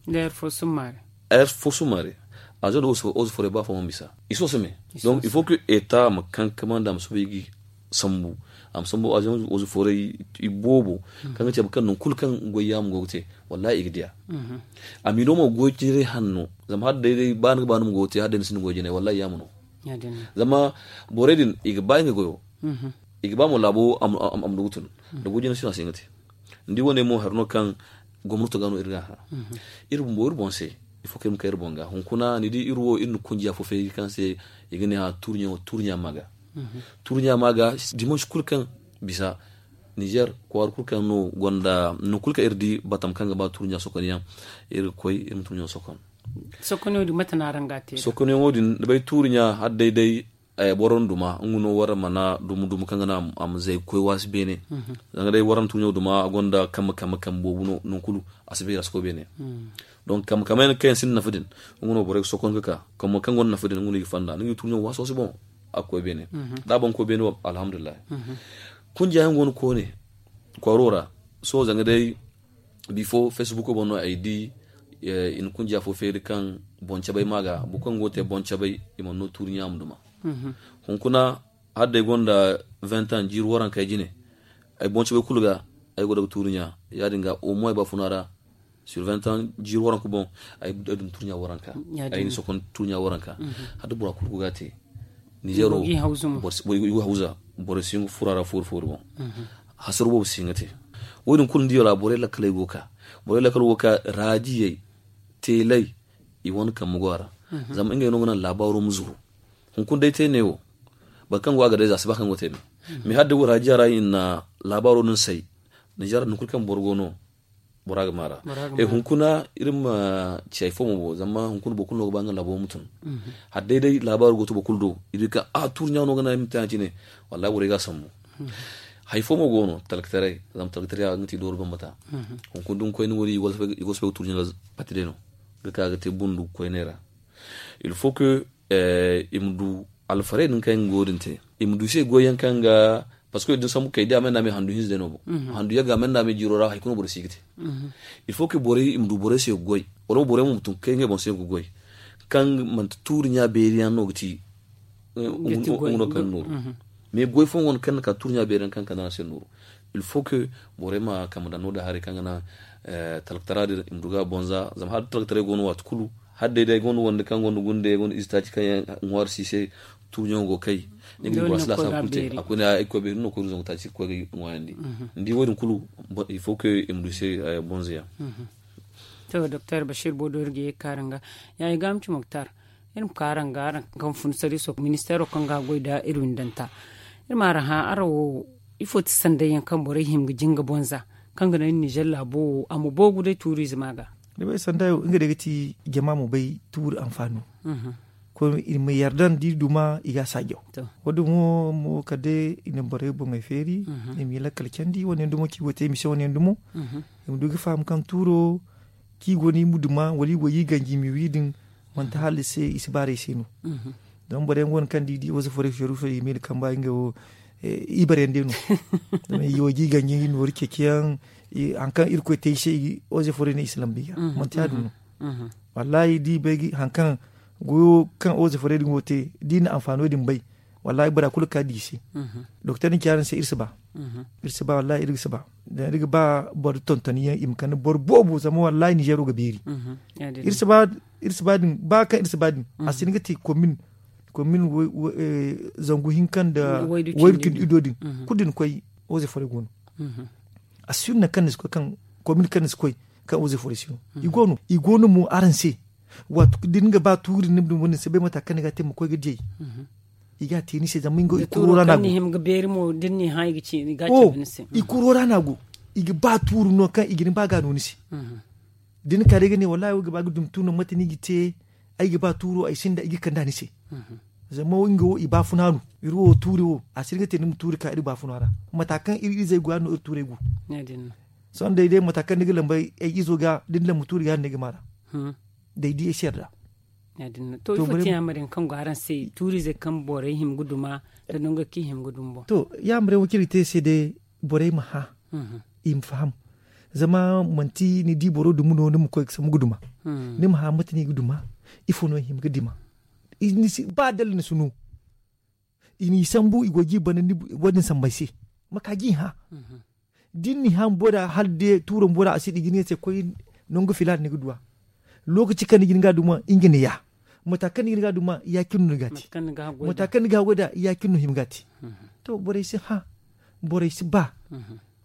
Heure fo summaare. Avion de eaux et forêt ba fo mana bisa. I si wasa me. Donc il faut que état ma kankamandi a ma soobay ga sambu. A ma sambu avion eaux et forêt i boobo, kaŋ ga cabe kaŋ nangu kulu kaŋ goy yaama go ga te, wallahi i ga diya. A mino mo goy jinay hanno. Zama hala day day ba ni ga ba ni ma goy te, hala day ni sinda goy jinay, wallahi yaama no. Zama borey din i ga ba nga goyo. I ga ba mo laabo a ma du ga tun. Da goy jinay si no a si hin ga te. Ni di wane mo hari no kaŋ gomnato ga no iri ga hã. Iri bumbo iri boŋ se, il faut que iri ma kay iri boŋ ga hunkuna ni di iri wo iri na kunjiya fo feeri kaŋ se i ga ne hã tuuri ɲa ma ga. Tuuri ɲa ma ga dimanche kulu kaŋ bisa, nizer kwaara kulu kaŋ no gonda nangu kulu kaŋ iri di batam kaŋ ga ba tuuri ɲa sokon yaŋ, iri ga koy iri ma tuuri ɲa sokon. Sokon yaŋo din mate no araŋ ga a te? Sokon yaŋo din ni bay tuuri ɲa hala day day boro na duma nga no wara mana dumu dumu kaŋ ga naŋ a ma zay ga koy waasi beene. Zanga day wara na tuuri ɲa duma a gonda kambe kambe kambe boobo no nangu kulu a si bay a si koy beene. Donc kambe kambe yaŋ kaŋ yaŋ sinda nafa din, nga no borey ga sokon ga ka. Kambe kaŋ gonda nafa din nga no i ga fanda ni ga i tuuri ɲa waaso si boŋ. A ga koy beene. Da a boŋ koy beene wo alhamdulillahi. Kunjiya yaŋ go no koone kwaaro ra. Sohõ zanga day bifo facebook boŋ no ay di. I na kunjiya fo feeri kaŋ boŋ cabay ma ga boro kaŋ go ga te boŋ cabay i mana no tuuri ɲa ma duma. Hunkuna hala day gonda vingt ans jiiri waranka ay jine. Ay boŋ cabay kulu ga ay go daga tuuri ɲa ya- din ga au moins ay ba funa ra. Sur vingt ans jiiri waranka boŋ ay dum tuuri ɲa waranka. Ay na sokon tuuri ɲa waranka. Hala da bora kulu go ga a te. Nizero boro si hin ga fura ra foori foori boŋ. Hasaru boobo si hin ga te. Wo- din kulu ni diyo ra borey lakkaley go ga ka. Borey lakkaley go ga ka raajiyey teeley i wane kambe go a ra. Zama ngey no ga naŋ laabaaro ma zuru. Hunkuna day te ne wo boro kaŋ go a ga day za a si ba kaŋ go te me. Mais hala day wo raajiya ra i na laabaaro din say. Nizer nangu kulu kaŋ boro go no bora ga maara. Hunkuna iri ma ci hari fo mo bo zama hunkuna boro kulu no ga ba nga labo ma tun. Hala day day laabaaro go to boro kulu do i di kaŋ a tuuri ɲa no ga naŋ ay ma te a cine. Wallahi borey ga a sambu. Hari fo mo go no talkataray zama talkataray a ga ti dooro bambata. Hunkuna da ni koy ni wo- din i go ga soobay ga tuuri ɲa pati day no ga ka ga te bundu koyney ra. Il faut que i ma du alfarey din kaŋ yaŋ ga wo- din te. I ma du se goy yaŋ kaŋ ga parce que da ni sambu kay da a manda me handu hinza day no boŋ. Handu yagga a manda me jiiro ra hari kulu no boro si ga te. Il faut que borey i ma du borey se ga goy wala mo borey mo ma tun ga kay ngey boŋ se ga goy kaŋ manti tuuri ɲa beeri yaŋ no ga ti. Nga no kaŋ nooru mais goy fooyaŋ go no kaŋ na ka tuuri ɲa beeri yaŋ kaŋ ga kande a se nooru. Il faut que borey ma kambe daŋ no- din haray kaŋ ga naŋ talkatara din i ma du ga a boŋ za zama hala da talkataray go no waati kulu hala day day gonda wande kaŋ gonda gunde gonda ize taaci kaŋ yaŋ ŋwaari si se. Tuuri ɲaŋo go kay ni ga ni boro si laasaabu kulu te a koy ne ay koy beeri no koy du zangu taaci ga koy ga ŋwaayandi. Ni di wo- din kulu il faut que i ma du se. Bonze yaŋ. To doktor bashir bodo iri ga ye ga kaara nga ya i ga ma ci muktar. Iri ma ka araŋ ga araŋ kaŋ fun sariiso ministeero kaŋ ga a goy nda iri windanta. Iri ma araŋ hã araŋ wo ifo ti sanday yaŋ kaŋ borey hima ga jinga bonza kaŋ ga naŋ iri nizer laabo wo a ma boogu day tuuriize ma ga? Ni bay sanday wo nga day ga ti jama ma bay tuuri anfaano. Koy iri ma yarda nda iri duma i ga a saajaw. Wo- din mo mo kala day i na borey boŋey feeri i ma i lakkal candi wane yaŋ dumo kaŋ i go ga te i ma se wane yaŋ dumo. I ma du ga faham kaŋ tuuro kaŋ i go no i ma duma wala i go ga i ganji i ma wi din. Manti hala i se i si baarey se no. Zama boro yaŋ go no kaŋ da i di wasa forey feeru feeru i ma i na kamba ngey wo. Ibaryaŋ day no. Zama i go ga i ganji i nooru ceeci yaŋ hari kaŋ irkoy te i se wasa forey no i si lamba i ga. Manti ya- din no. Wallahi da i bay hari kaŋ goyo kaŋ wasa forey din go ga te da i na anfaano din bay. Wallahi bora kulu ga ka di i se. Doktor din ci araŋ se iri si ba. Iri si ba wallahi iri ga si ba. Zama iri ga ba boro tontoni yaŋ i ma kande boro boobo zama wallahi nizeero ga beeri. Iri si ba. Iri si ba din ba kaŋ iri si ba din a si hin ga te komin komin zangu hinka nda waydu cindi ido din. Kulu din koy oze fore go no. A si hin nangu kaŋ ni si koy kaŋ komin kaŋ ni si koy kaŋ oze fore si no. I go no i go no mo araŋ se. Waati kulu da ni ga ba tuuri ni ma duma ni si bay mata kaŋ ni ga a te ma koy ga diyay. I ga a te ni se zama nga i kuro ra no a go. I kuro ra no a go. I ga ba tuuru no kaŋ i ga ni ba ga no ni se. Da ni ka day ga ne wallaahi wo ga ba ga dumi tuuru no mate no i ga te. Ay ga ba tuuro ay sinda i ga kand'a ni se. Zama nga wo i baafuna no iri wo tuuri wo a si iri ga te ni ma tuuri ka iri baafuna ra. Mata kaŋ iri izey go yaadin no iri tuurey go. Sohõ day day mata kaŋ ni ga lamba ay izo ga da ni lamba tuuri ga yaadin no ay ga maar'a. Day di ay si yarda. To ifo ti yaamar yaŋ kaŋ go araŋ se tuuriizey kaŋ borey hima ga duma nda nango kaŋ i hima ga duma boŋ? To yaamar yaŋ wo kaŋ iri ga te ay se day borey ma hã. I ma faham. Zama manti ni di boro dumi no ni ma koy ga sambu ga duma. Ni ma hã mate no i ga duma? Ifo no i hima ga dima? Ba dalla ni si no. I n'i sambu i go ga i bana ni wo- din sambu ay se. Ma ka ga i hã. Da ni n'i hã bumbo da hala day tuuro bumbo da a si di ga ne ni se koy nangu filaana ni ga du a. Lookaci kaŋ ni ga hin ga a duma nga ni ya. Mata kaŋ ni ga hin ga a duma ya- cine no ni ga a te. Mata kaŋ ni ga a goy nd'a ya- cine no hima ga a te. To borey si hã. Borey si ba.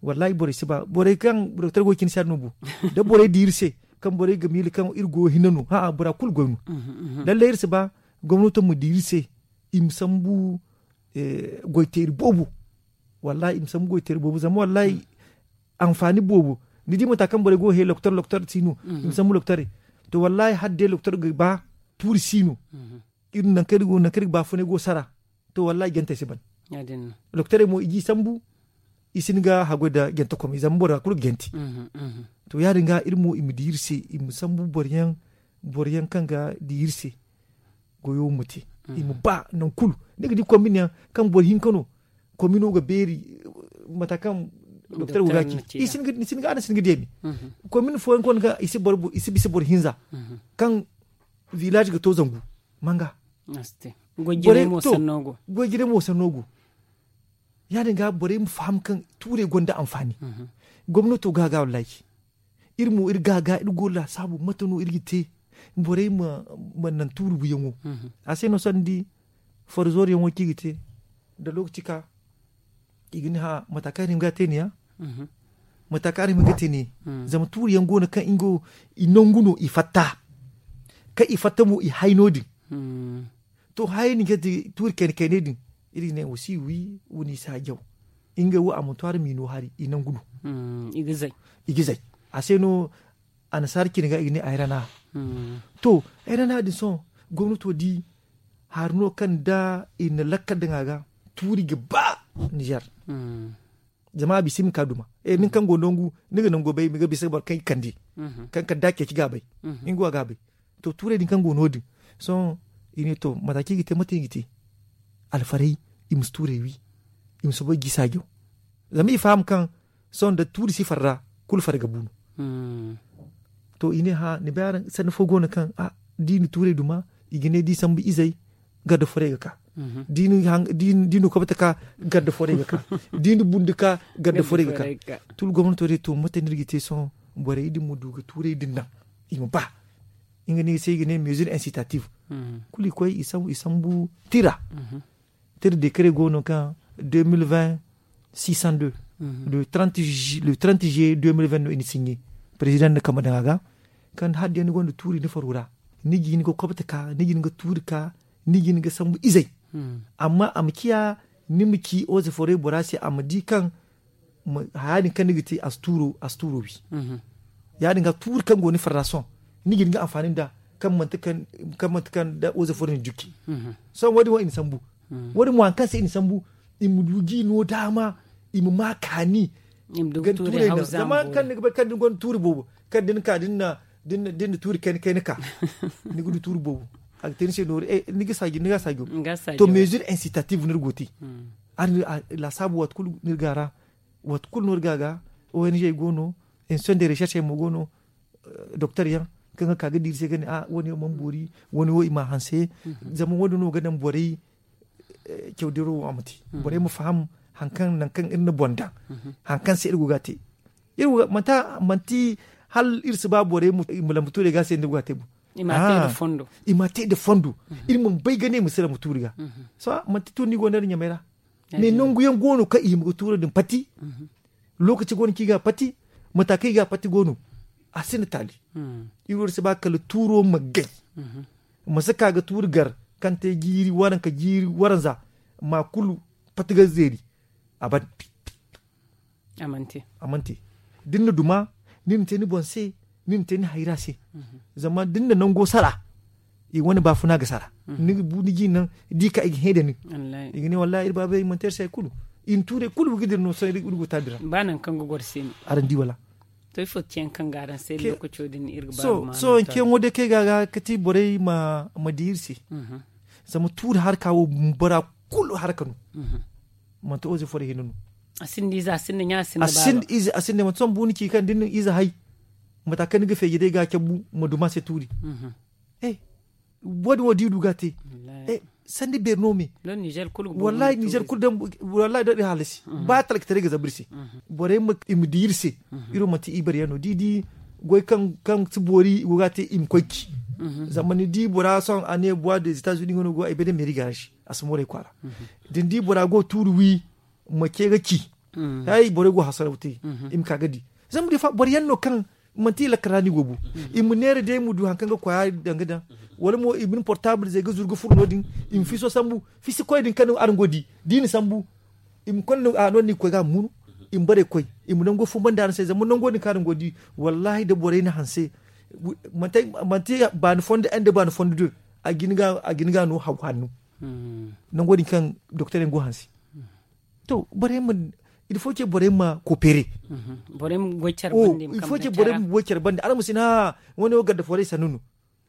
Wallaahi borey si ba borey kaŋ doktor go ga cine se yaadin no bu. Da borey di iri se kaŋ borey ga miila kaŋ iri go ga hinne no ha'a bora kulu goy no. Lallay iri si ba gomnato ma di iri se. I ma sambu goy teeri boobo. Wallaahi i ma sambu goy teeri boobo zama wallaahi anfaani boobo. Ni di mata kaŋ borey go ga he loktor loktor si no. I ma sambu loktorey. To wallaahi hala day loktor ga ba tuuri si no. Iri nangu kaŋ iri ga baafunay go sara. To wallaahi jantey si ban. Loktorey mo i ga i sambu. I si hin ga haggoy nda jantekomey zama bora kulu ga jante. To ya- din ga iri mo i ma di iri se i ma sambu boro yaŋ kaŋ ga di iri se. Goyo ma te i ma ba nangu kulu. Ni ga di komin yaŋ kaŋ boro hinka no komino ga beeri. Mata kaŋ doktor go ga ci ni si hin ga deemi. Komin fooyaŋ go no kaŋ i si bisa boro hinza kaŋ vilaazi ga to zangu. Manga. Goy jinay mo sanno go. Ya- din ga borey ma faham kaŋ tuurey gonda anfaani. Gomnato ga ga wallaahi. Iri mo iri ga ga iri go laasaabu mate no iri ga te. Borey ma naŋ tuuri buyaŋo. A se no sohõ ni di foro zoori yaŋo kaŋ i ga te. Da lookaci ka i ga ni hã mata kaŋ iri hima ga a te ni ya. Mata kaŋ iri hima ga a te ni ya. Zama tuuri yaŋ go no kaŋ nga wo i nangu no i fatta. Kaŋ i fatta mo i hay no- din. To haya ni ga ti tuuri kayna kaynay din. Iri ga ne wa si wi wa ni saajaw. Ngey wo a mana to araŋ m'i no hari i nangu no. I ga zay. A se no annasaara cine ga i ga ne ayrana. To ayrana din sohõ gomnato di hari no kaŋ da i na lakkal daŋ a ga tuuri ga ba. Nizer. Zama a bisa i ma ka duma. Nin kaŋ go nangu ni ga nango bay i ma ga bisa boro kaŋ i kande kaŋ kala da ceeci ga a bay. Nga wo a ga a bay. To tuurey din kaŋ go no- din sohõ i ne to mata kaŋ i ga te mate i ga te. Alfarey i ma si tuurey wi. I ma soobay ga i saajaw. Zama i faham kaŋ sohõ nda tuuri si farra kulu farra ga bu no. To i ne hã ni bay araŋ sanni fo go no kaŋ da i na tuurey duma i ga ne da i sambu izey. Garda forey ga ka da i na kobta ka garda forey ga ka da i na bundu ka garda forey ga ka. Tulu gomnato day to mate no iri ga te sohõ borey din ma du ga tuurey din naŋ i ma ba. Nga no i ga se i ga ne mezir insitative. Kulu i koy i sambu tira. Tira dekare go no kaŋ deux mille vingt six cent deux le trente juillet deux mille vingt no i na sinye. Perezidaŋ na kambe daŋ a ga kaŋ hala day ni gonda tuuri ni faro ra ni ga hin ga kobta ka ni ga hin ga tuuri ka ni ga hin ga sambu izey. Amma a ma ciya ni ma ci oze forey bora se a ma di kaŋ haya din kaŋ ni ga te a si tuuro wi. Ya- din ga tuuri kaŋ go ni farra sohõ ni ga hin ga anfaani nd'a kaŋ manti kaŋ da oze forey na jukki. Sohõ wo- din wo i na sambu. Wo- din mo hari kaŋ se i na sambu i ma du ga i no daama i ma ma kaani. Zama hari kaŋ ni ga bay kaŋ da ni gonda tuuri boobo kaŋ da ni ka da ni na tuuri kayna kayna ka ni ga du tuuri boobo. A ga te ni se nooru ni ga saajo ni ga saajo. To mezir insitative no iri go ga te. Laasaabu waati kulu no iri ga a ra. Waati kulu no iri ga a ga. Ong go no. Institution de recherche mo go no. Doktor yaŋ kaŋ ga ka ga di iri se ga ne a wo- ne wo mana boori. Wo- ne wo i m'a hanse. Zama wo- din no ga naŋ borey cawdiro wo a ma te. Borey ma faham hari kaŋ nangu kaŋ iri na boŋ daŋ hari kaŋ se iri go ga a te. Manti hala iri si ba borey ma lamba tuurey ga se nda go ga a te boŋ. I m'a te nda fondo. Iri mana bay ga ne i ma si lamba tuuri ga. Sohõ manti tuuri no i go no iri ɲamey ra. Mais nangu yaŋ go no kaŋ i hima ga tuuro din pati. Lookaci go no kaŋ i ga a pati. Mata kaŋ i ga a pati go no. A sinda taali. Iri wo iri si ba kala tuuro ma gay. Ma si ka ga tuuri gar. kaŋ te jiiri waranka jiiri waranza ma kulu pati ga zeeri. A ban a man te da ni na duma ni na te ni boŋ se ni na te ni hayra se. Zama da ni na nango sara i wane baafuna ga sara ni ga bu ni ji naŋ da i ka i ga hẽ da nin i ga ne wallahi iri baabey manti iri se hari kulu i na tuurey kulu ga dira no sohõ iri go taabi ra. Ba nangu kaŋ ga goro se no. Araŋ di wala? To ifo ga ce yaŋ kaŋ ga araŋ se lokaco din iri ga ba ga ma sohõ ceeyaŋo day kaŋ ay ga ga kati borey ma di iri se. Zama tuuri harka wo bora kulu harka no. Manti oze fo day hinne no. A sinda ize a sinda ɲa a sinda baaba. A sinda ize a sinda manti sohõ buni ci kaŋ da ni na ize hay mata kaŋ ni ga feeji day ga a cabu ma duma se tuuri. Wo- din wo da i du ga a te. Sanda beeri no me. Wallahi ninzeer kulu daŋ wallahi daŋ iri halasi. Ba talkataray ga zabu iri se. Borey ma i ma di iri se. Iri wo manti ibaryaŋ no da i di goy kaŋ si boori i go ga a te i ma koy ci. Zama ni di bora sohõ a ne bois des etats unis nga no go ay bay day meeri garage a si moorey kwaara. Da ni di bora go tuuri wi ma ce ga ci. Hay borey go hasaraw te i ma ka ga di. Zama da i fa boro yaŋ no kaŋ manti i lakkara no i go bu. I ma neera day ma du hari kaŋ ga koya daŋ ga daŋ wala mo i ma ni portable zey ga zuru ga furo no- din. I ma fiso sambu fisi koy din kaŋ araŋ go ga di da i na sambu i ma konda a no ni koy ga a ma munu. I ma barey koy i ma nango fumbandi araŋ se zama nango din kaŋ araŋ go ga di. Wallahi da borey na hanse manti baani fondo en da baani fondo do a ga ni ga no haw hanno. Nango din kaŋ doktor yaŋ go hanse. To borey ma il faut que borey ma koopere. Borey ma goy care bande il faut que borey ma goy care bande araŋ ma si ne ha wane wo garda forey sannu no.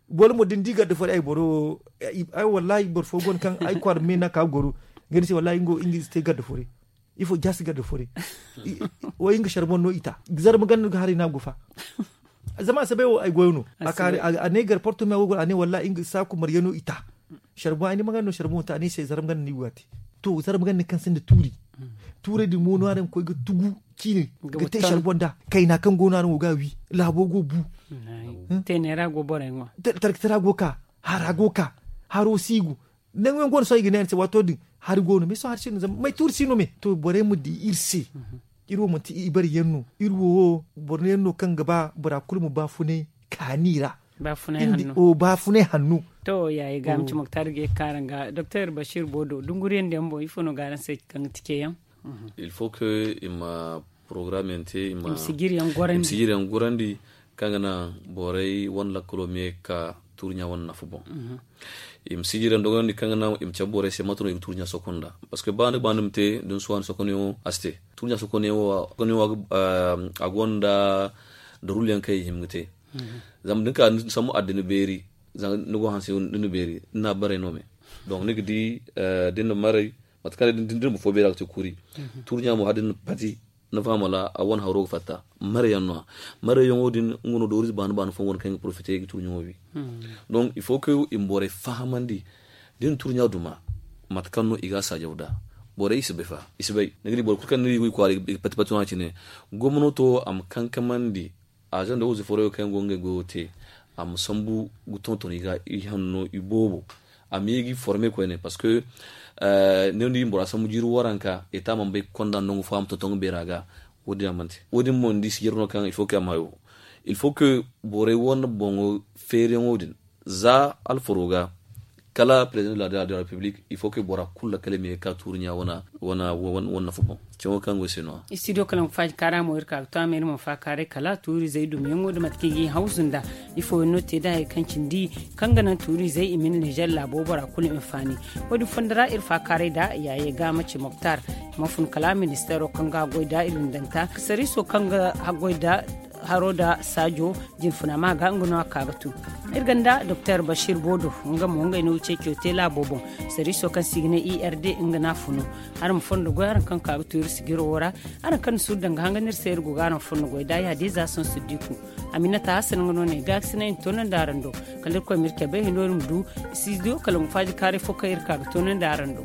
Boro mo da ni di garda forey ay boro ay wallahi boro fo go no kaŋ ay kwaara me no a ka ga goro. Nga ni se wallahi nga wo nga ize te garda forey. Ifo jaasi garda forey. Way nga sharboŋ no i ta zarma ganda ga haray no a go fa. Zama a si bay wo ay goyo no. A ne garporto me a go goro a ne wallahi nga saaku maryaŋ no i ta. Sharboŋ ay ne ma ganda no sharboŋ ta a ne ay se zarma ganda no i go ga a te. To zarma ganda kaŋ sinda tuuri. Tuurey din mo no araŋ ga koy ga tugu ciine ga te sharboŋ da kayna kaŋ go no araŋ go ga a wi laabo go bu. Teeney ra go borey ŋwa. Tarkata ra go ka hara go ka haro si go. Nangu yaŋ go no sohõ i ga ne araŋ se waato din hari go no me sohõ hari si no zama may tuuri si no me to borey ma di iri se. Iri wo manti ibari yaŋ no iri wo boro yaŋ no kaŋ ga ba bora kulu ma baafunay kaani ra. Baafunay hanno. To yaayi ga ma ci moktar ga ye ga ka araŋ ga doktor bashir bodo dunguriyaŋ da yaŋ boŋ ifo no ga araŋ se kaŋ ga ti ceeyaŋ? Il faut que i ma porogaram yaŋ te i ma sijiri yaŋ gorandi kaŋ ga naŋ borey wane lakkalo me ga ka tuuri ɲa wane nafa boŋ. I ma sijiri yaŋ dogonandi kaŋ ga naŋ i ma cabe borey se mate no i ga tuuri ɲa sokon nd'a. Parceque ba ni ga ba ni ma te da ni si waani sokon yaŋo a si te. Tuuri ɲa sokon yaŋo a gonda daruulu yaŋ kaŋ i hima ga te. Zama da ni ka ni sambu adda ni beeri zama ni go hanse ni na beeri ni na baray no me. Donk ni ga di da ni na maray mate kaŋ day da ni boro fo beeri a ga te kuuri. Tuuri ɲa mo hala da ni na pati ni faham wala a wane haro ga fatta. Maray yaŋ no- ya maray yaŋo din nga no doorize baani baani fooyaŋ go no kaŋ ga porofite ga tuuri ɲaŋo wi. Donk il faut que i ma borey fahamandi da i na tuuri ɲa duma mate kaŋ no i ga a saajaw nd'a. Borey i si bay fa i si bay ni ga di boro kulu kaŋ ni ga i kwaara i ga pati pati no- ya cine. Gomnato a ma kankamandi azaŋ nda wooze foroyo kaŋ yaŋ go ga ngey goyo te a ma sambu ga tonton i ga i hanno i boobo. A ma ye ga i forme koyne parceque ne no ni di bora sambu jiiri waranka eta mana bay ga konda nangu fo a ma tonton ga beera ga. Wo- din a mana te wo- din mo ni di sijiro no kaŋ il faut que a ma hayo. Il faut que borey wane boŋo feeriyaŋo din za alfaro ga kala président de la république il faut que bora kulu lakkale ma ye ga ka tuuri ɲa wane nafa boŋ. Cawo kaŋ go se no- ya. Studio kalaŋ ga faaji kaara mo iri ka ga to a ma iri ma faakaaray kala tuuri zey dumiyaŋo nda mate kaŋ i ga i hawzu nda ifo yaŋ no te da hari kaŋ cindi kaŋ ga naŋ tuuri zey i ma ni nizer laabo bora kulu hinfaani. Wo- din fondo ra iri faakaaray nda yaaye ga ma ci moktar ma fun kala ministeero kaŋ ga haggoy nda iri windanta sariiso kaŋ ga haggoy nda haro nda saajo jinfuna ma ga nga no a ka ga tu. Iri gonda doktor bashir bodo nga mo ngey no ceeco te laabo boŋ. Sariiso kaŋ se i ga ne i r d nga no a funu. Araŋ ma fondo goy araŋ kaŋ ka ga tu iri sijiro wo ra. Araŋ kaŋ ni suuru daŋ ga hanga no iri se iri go ga araŋ fondo goy da ya- din za sohõ siddiku. Aminata hasan nga no ne ga ga sinay ni toonandi araŋ do. Kala iri koy ma iri cabe hino iri ma du studio kala ma faaji kaaray fo kaŋ iri ka ga toonandi araŋ do.